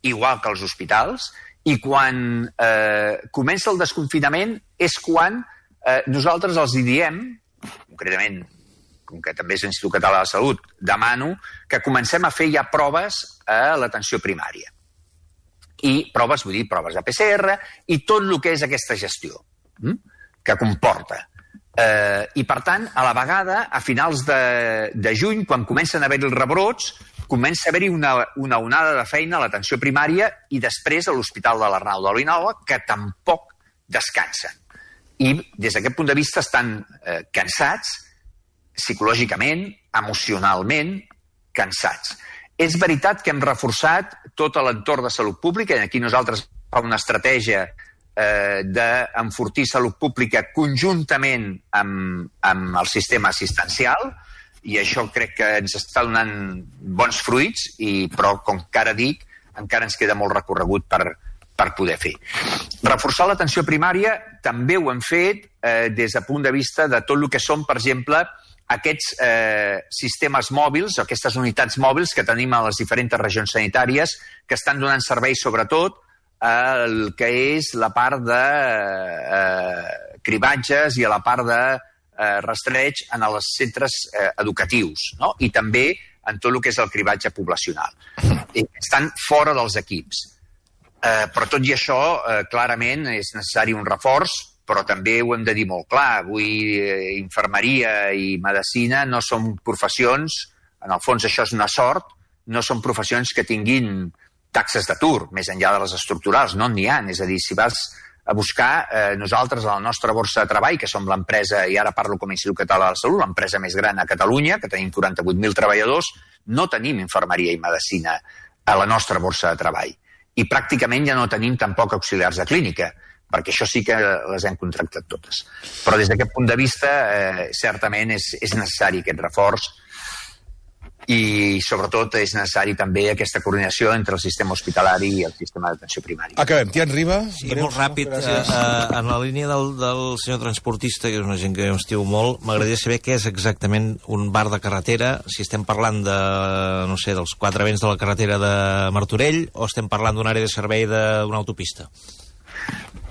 igual que els hospitals, i quan eh, comença el desconfinament és quan eh, nosaltres els hi diem, concretament, com que també és l'Institut Català de la Salut, demano que comencem a fer ja proves a l'atenció primària. I proves, vull dir, proves de P C R i tot el que és aquesta gestió hm? que comporta. Eh, I, per tant, a la vegada, a finals de, de juny, quan comencen a haver-hi els rebrots, comença a haver-hi una, una onada de feina a l'atenció primària i després a l'Hospital de l'Arnau de l'Oinola, que tampoc descansen. I des d'aquest punt de vista estan eh, cansats, psicològicament, emocionalment, cansats. És veritat que hem reforçat tot l'entorn de Salut Pública, i aquí nosaltres fem una estratègia eh, d'enfortir Salut Pública conjuntament amb, amb el sistema assistencial, i això crec que ens està donant bons fruits, i, però, com que ara dic, encara ens queda molt recorregut per, per poder fer. Reforçar l'atenció primària també ho hem fet eh, des del punt de vista de tot el que són, per exemple, aquests eh, sistemes mòbils, aquestes unitats mòbils que tenim a les diferents regions sanitàries, que estan donant servei sobretot al que és la part de eh, cribatges i a la part de eh, rastreig en els centres eh, educatius, no? I també en tot el que és el cribatge poblacional. I estan fora dels equips. Eh, però tot i això, eh, clarament, és necessari un reforç, però també ho hem de dir molt clar. Avui eh, infermeria i medicina no són professions, en el fons això és una sort, no són professions que tinguin taxes d'atur, més enllà de les estructurals, no n'hi ha. És a dir, si vas a buscar, eh, nosaltres a la nostra borsa de treball, que som l'empresa, i ara parlo com a Institut Català de la Salut, l'empresa més gran a Catalunya, que tenim quaranta-vuit mil treballadors, no tenim infermeria i medicina a la nostra borsa de treball. I pràcticament ja no tenim tampoc auxiliars de clínica, perquè això sí que les hem contractat totes. Però des d'aquest punt de vista, eh, certament és, és necessari aquest reforç, i sobretot és necessari també aquesta coordinació entre el sistema hospitalari i el sistema d'atenció primària. Acabem. Tian Riba. Sí, molt ràpid. Uh, uh, en la línia del, del senyor transportista, que és una gent que jo estimo molt, m'agradaria saber què és exactament un bar de carretera, si estem parlant de, no sé, dels quatre vents de la carretera de Martorell, o estem parlant d'una àrea de servei d'una autopista.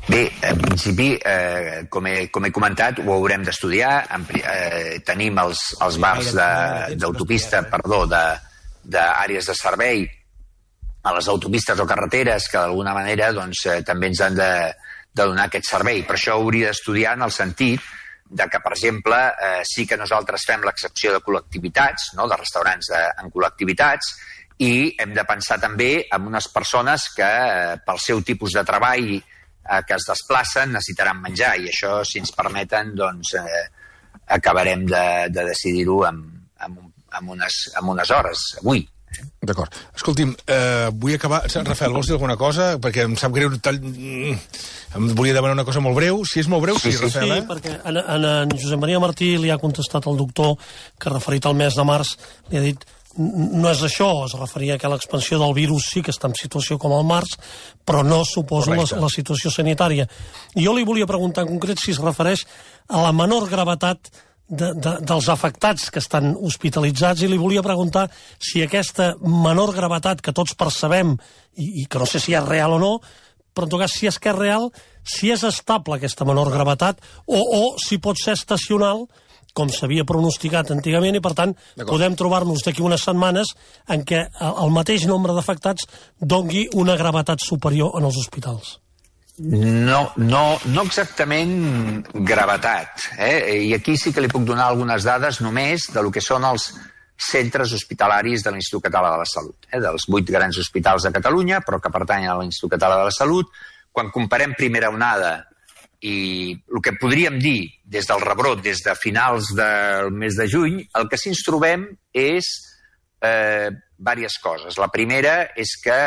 Bé, en principi, eh, com, he, com he comentat, ho haurem d'estudiar. Eh, tenim els, els bars d'autopista, perdó, d'àrees de, de servei a les autopistes o carreteres que d'alguna manera doncs, eh, també ens han de, de donar aquest servei. Per això hauria d'estudiar en el sentit de que, per exemple, eh, sí que nosaltres fem l'excepció de col·lectivitats, no?, de restaurants de, en col·lectivitats, i hem de pensar també en unes persones que, eh, pel seu tipus de treball que es desplacen, necessitaran menjar, i això, si ens permeten, doncs eh, acabarem de, de decidir-ho amb, amb, amb, unes, amb unes hores, avui. D'acord. Escolti'm, eh, vull acabar... Rafael, vols dir alguna cosa? Perquè em sap greu... Tal... Em volia demanar una cosa molt breu. Si és molt breu, sí, sí, Rafael, eh? Sí, perquè en, en, en Josep Maria Martí li ha contestat al doctor que, referit al mes de març, li ha dit no és això, es referia que l'expansió del virus sí que està en situació com el març, però no suposa la, la situació sanitària. I jo li volia preguntar en concret si es refereix a la menor gravetat de, de, dels afectats que estan hospitalitzats, i li volia preguntar si aquesta menor gravetat que tots percebem, i, i que no sé si és real o no, però en tot cas si és que és real, si és estable aquesta menor gravetat, o, o si pot ser estacional, com s'havia pronosticat antigament, i per tant podem trobar-nos d'aquí unes setmanes en què el mateix nombre d'afectats dongui una gravetat superior en els hospitals. No, no, no exactament gravetat. Eh? I aquí sí que li puc donar algunes dades només de lo que són els centres hospitalaris de l'Institut Català de la Salut, eh? dels vuit grans hospitals de Catalunya, però que pertanyen a l'Institut Català de la Salut. Quan comparem primera onada i el que podríem dir des del rebrot, des de finals del mes de juny, el que sí ens trobem és eh, diverses coses. La primera és que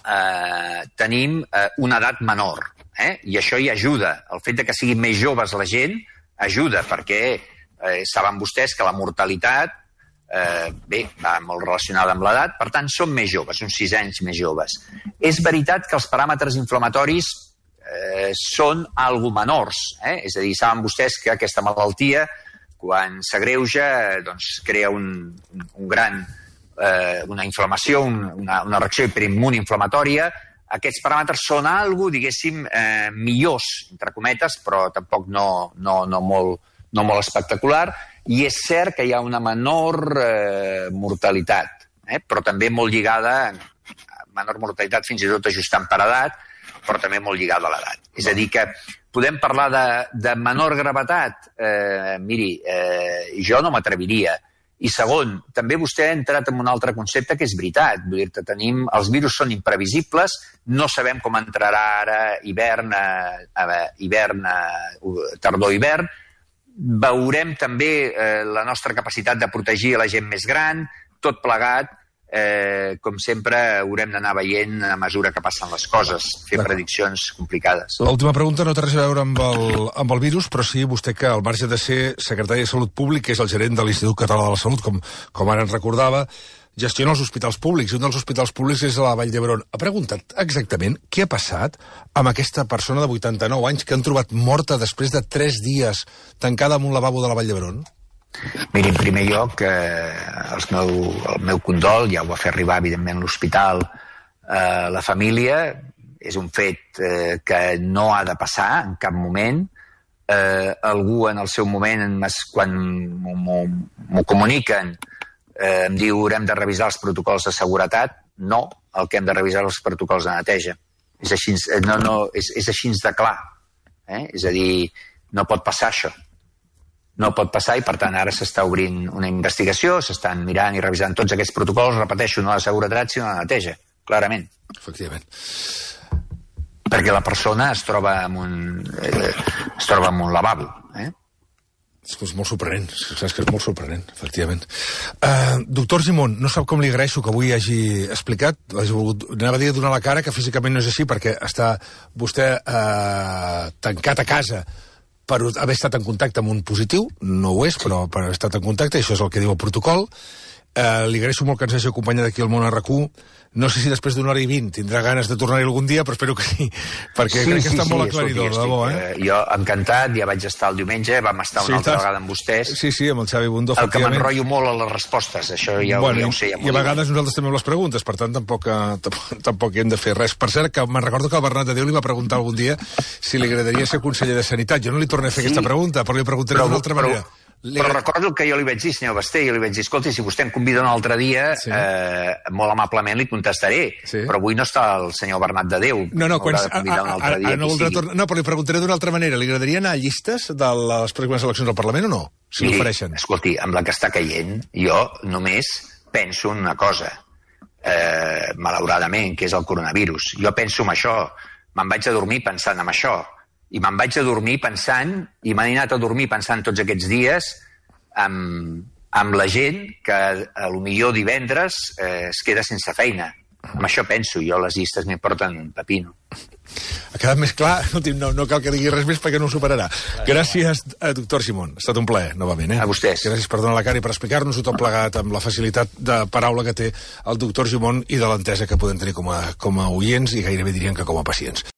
eh, tenim eh, una edat menor, eh? i això hi ajuda. El fet de que siguin més joves la gent ajuda, perquè eh, saben vostès que la mortalitat eh, bé, va molt relacionada amb l'edat, per tant són més joves, uns sis anys més joves. És veritat que els paràmetres inflamatoris Eh, són algo menors, eh? és a dir, saben vostès que aquesta malaltia, quan s'agreuja, doncs crea un, un gran, eh, una inflamació, un, una, una reacció hiperimmune inflamatòria. Aquests paràmetres són algo, diguéssim, eh, millors, entre cometes, però tampoc no, no, no, molt, no molt espectacular, i és cert que hi ha una menor eh, mortalitat, eh? però també molt lligada, menor mortalitat fins i tot ajustant per edat, però també molt lligada a l'edat. És a dir, que podem parlar de, de menor gravetat? Eh, miri, eh, jo no m'atreviria. I segon, també vostè ha entrat en un altre concepte que és veritat. Vull dir que tenim, els virus són imprevisibles, no sabem com entrarà ara hivern, eh, hivern eh, tardor-hivern. Veurem també eh, la nostra capacitat de protegir a la gent més gran, tot plegat. Eh, com sempre, haurem d'anar veient a mesura que passen les coses, fer prediccions complicades. L'última pregunta no té res a veure amb el, amb el virus, però sí vostè que al marge de ser secretari de Salut Públic, que és el gerent de l'Institut Català de la Salut, com, com ara ens recordava, gestiona els hospitals públics, i un dels hospitals públics és a la Vall d'Hebron. Ha preguntat exactament què ha passat amb aquesta persona de vuitanta-nou anys que han trobat morta després de tres dies tancada en un lavabo de la Vall d'Hebron? Miri, en primer lloc, eh, el, meu, el meu condol, ja ho va fer arribar, evidentment, l'hospital, eh, la família. És un fet eh, que no ha de passar en cap moment. Eh, algú en el seu moment, quan m'ho comuniquen, eh, em diu haurem de revisar els protocols de seguretat. No, el que hem de revisar els protocols de neteja. És així, no, no, és, és així de clar. Eh? És a dir, no pot passar això. No pot passar i, per tant, ara s'està obrint una investigació, s'estan mirant i revisant tots aquests protocols, repeteixo, no de seguretat, sinó de neteja, clarament. Efectivament. Perquè la persona es troba en un, eh, es troba en un lavabo. Eh? És, és molt sorprenent, saps que és molt sorprenent, efectivament. Uh, doctor Gimón, no sap com li agraeixo que avui hagi explicat, hagi volgut, anava a dir donar la cara, que físicament no és així, perquè està vostè uh, tancat a casa per haver estat en contacte amb un positiu, no ho és, però per haver estat en contacte, i això és el que diu el protocol. Eh, li agraeixo molt que ens hagi acompanyat aquí al Món R Q. No sé si després d'una hora i vint tindrà ganes de tornar-hi algun dia, però espero que sí, perquè sí, crec que sí, està sí, molt aclaridor, de debò, eh? Jo encantat, ja vaig estar el diumenge, vam estar una sí, altra vegada amb vostès. Sí, sí, amb el Xavi Bundó, el que m'enrotllo molt a les respostes, això ja, bueno, ja ho sé. Ja I a vegades nosaltres també amb les preguntes, per tant tampoc, tampoc, tampoc hi hem de fer res. Per cert, que me'n recordo que el Bernat de Déu li va preguntar algun dia si li agradaria ser conseller de Sanitat. Jo no li tornaré a fer sí, aquesta pregunta, però li preguntaré d'una altra manera. Li... Però recordo el que jo li vaig dir, senyor Basté, jo li vaig dir, escolta, si vostè em convida un altre dia, sí. eh, molt amablement li contestaré, sí. però avui no està el senyor Bernat de Déu. No, no, quan... A, a, a, a, dia, no, tornar... no, però li preguntaré d'una altra manera. Li agradaria anar a llistes de les pròximes eleccions al Parlament o no? Si Miri, l'ofereixen. Escolti, amb la que està caient, jo només penso en una cosa, eh, malauradament, que és el coronavirus. Jo penso en això. Me'n vaig a dormir pensant en això. I me'n vaig a dormir pensant, i m'han anat a dormir pensant tots aquests dies amb, amb la gent que a lo millor divendres eh, es queda sense feina. Amb això penso, jo les llistes m'importen un pepino. Ha quedat més clar, no, no cal que digui res més perquè no ho superarà. Gràcies, doctor Simón. Ha estat un plaer, novament. Eh? A vostès. Gràcies per donar la cara i per explicar-nos-ho tot plegat amb la facilitat de paraula que té el doctor Simón i de l'entesa que podem tenir com a, com a oients i gairebé diríem que com a pacients.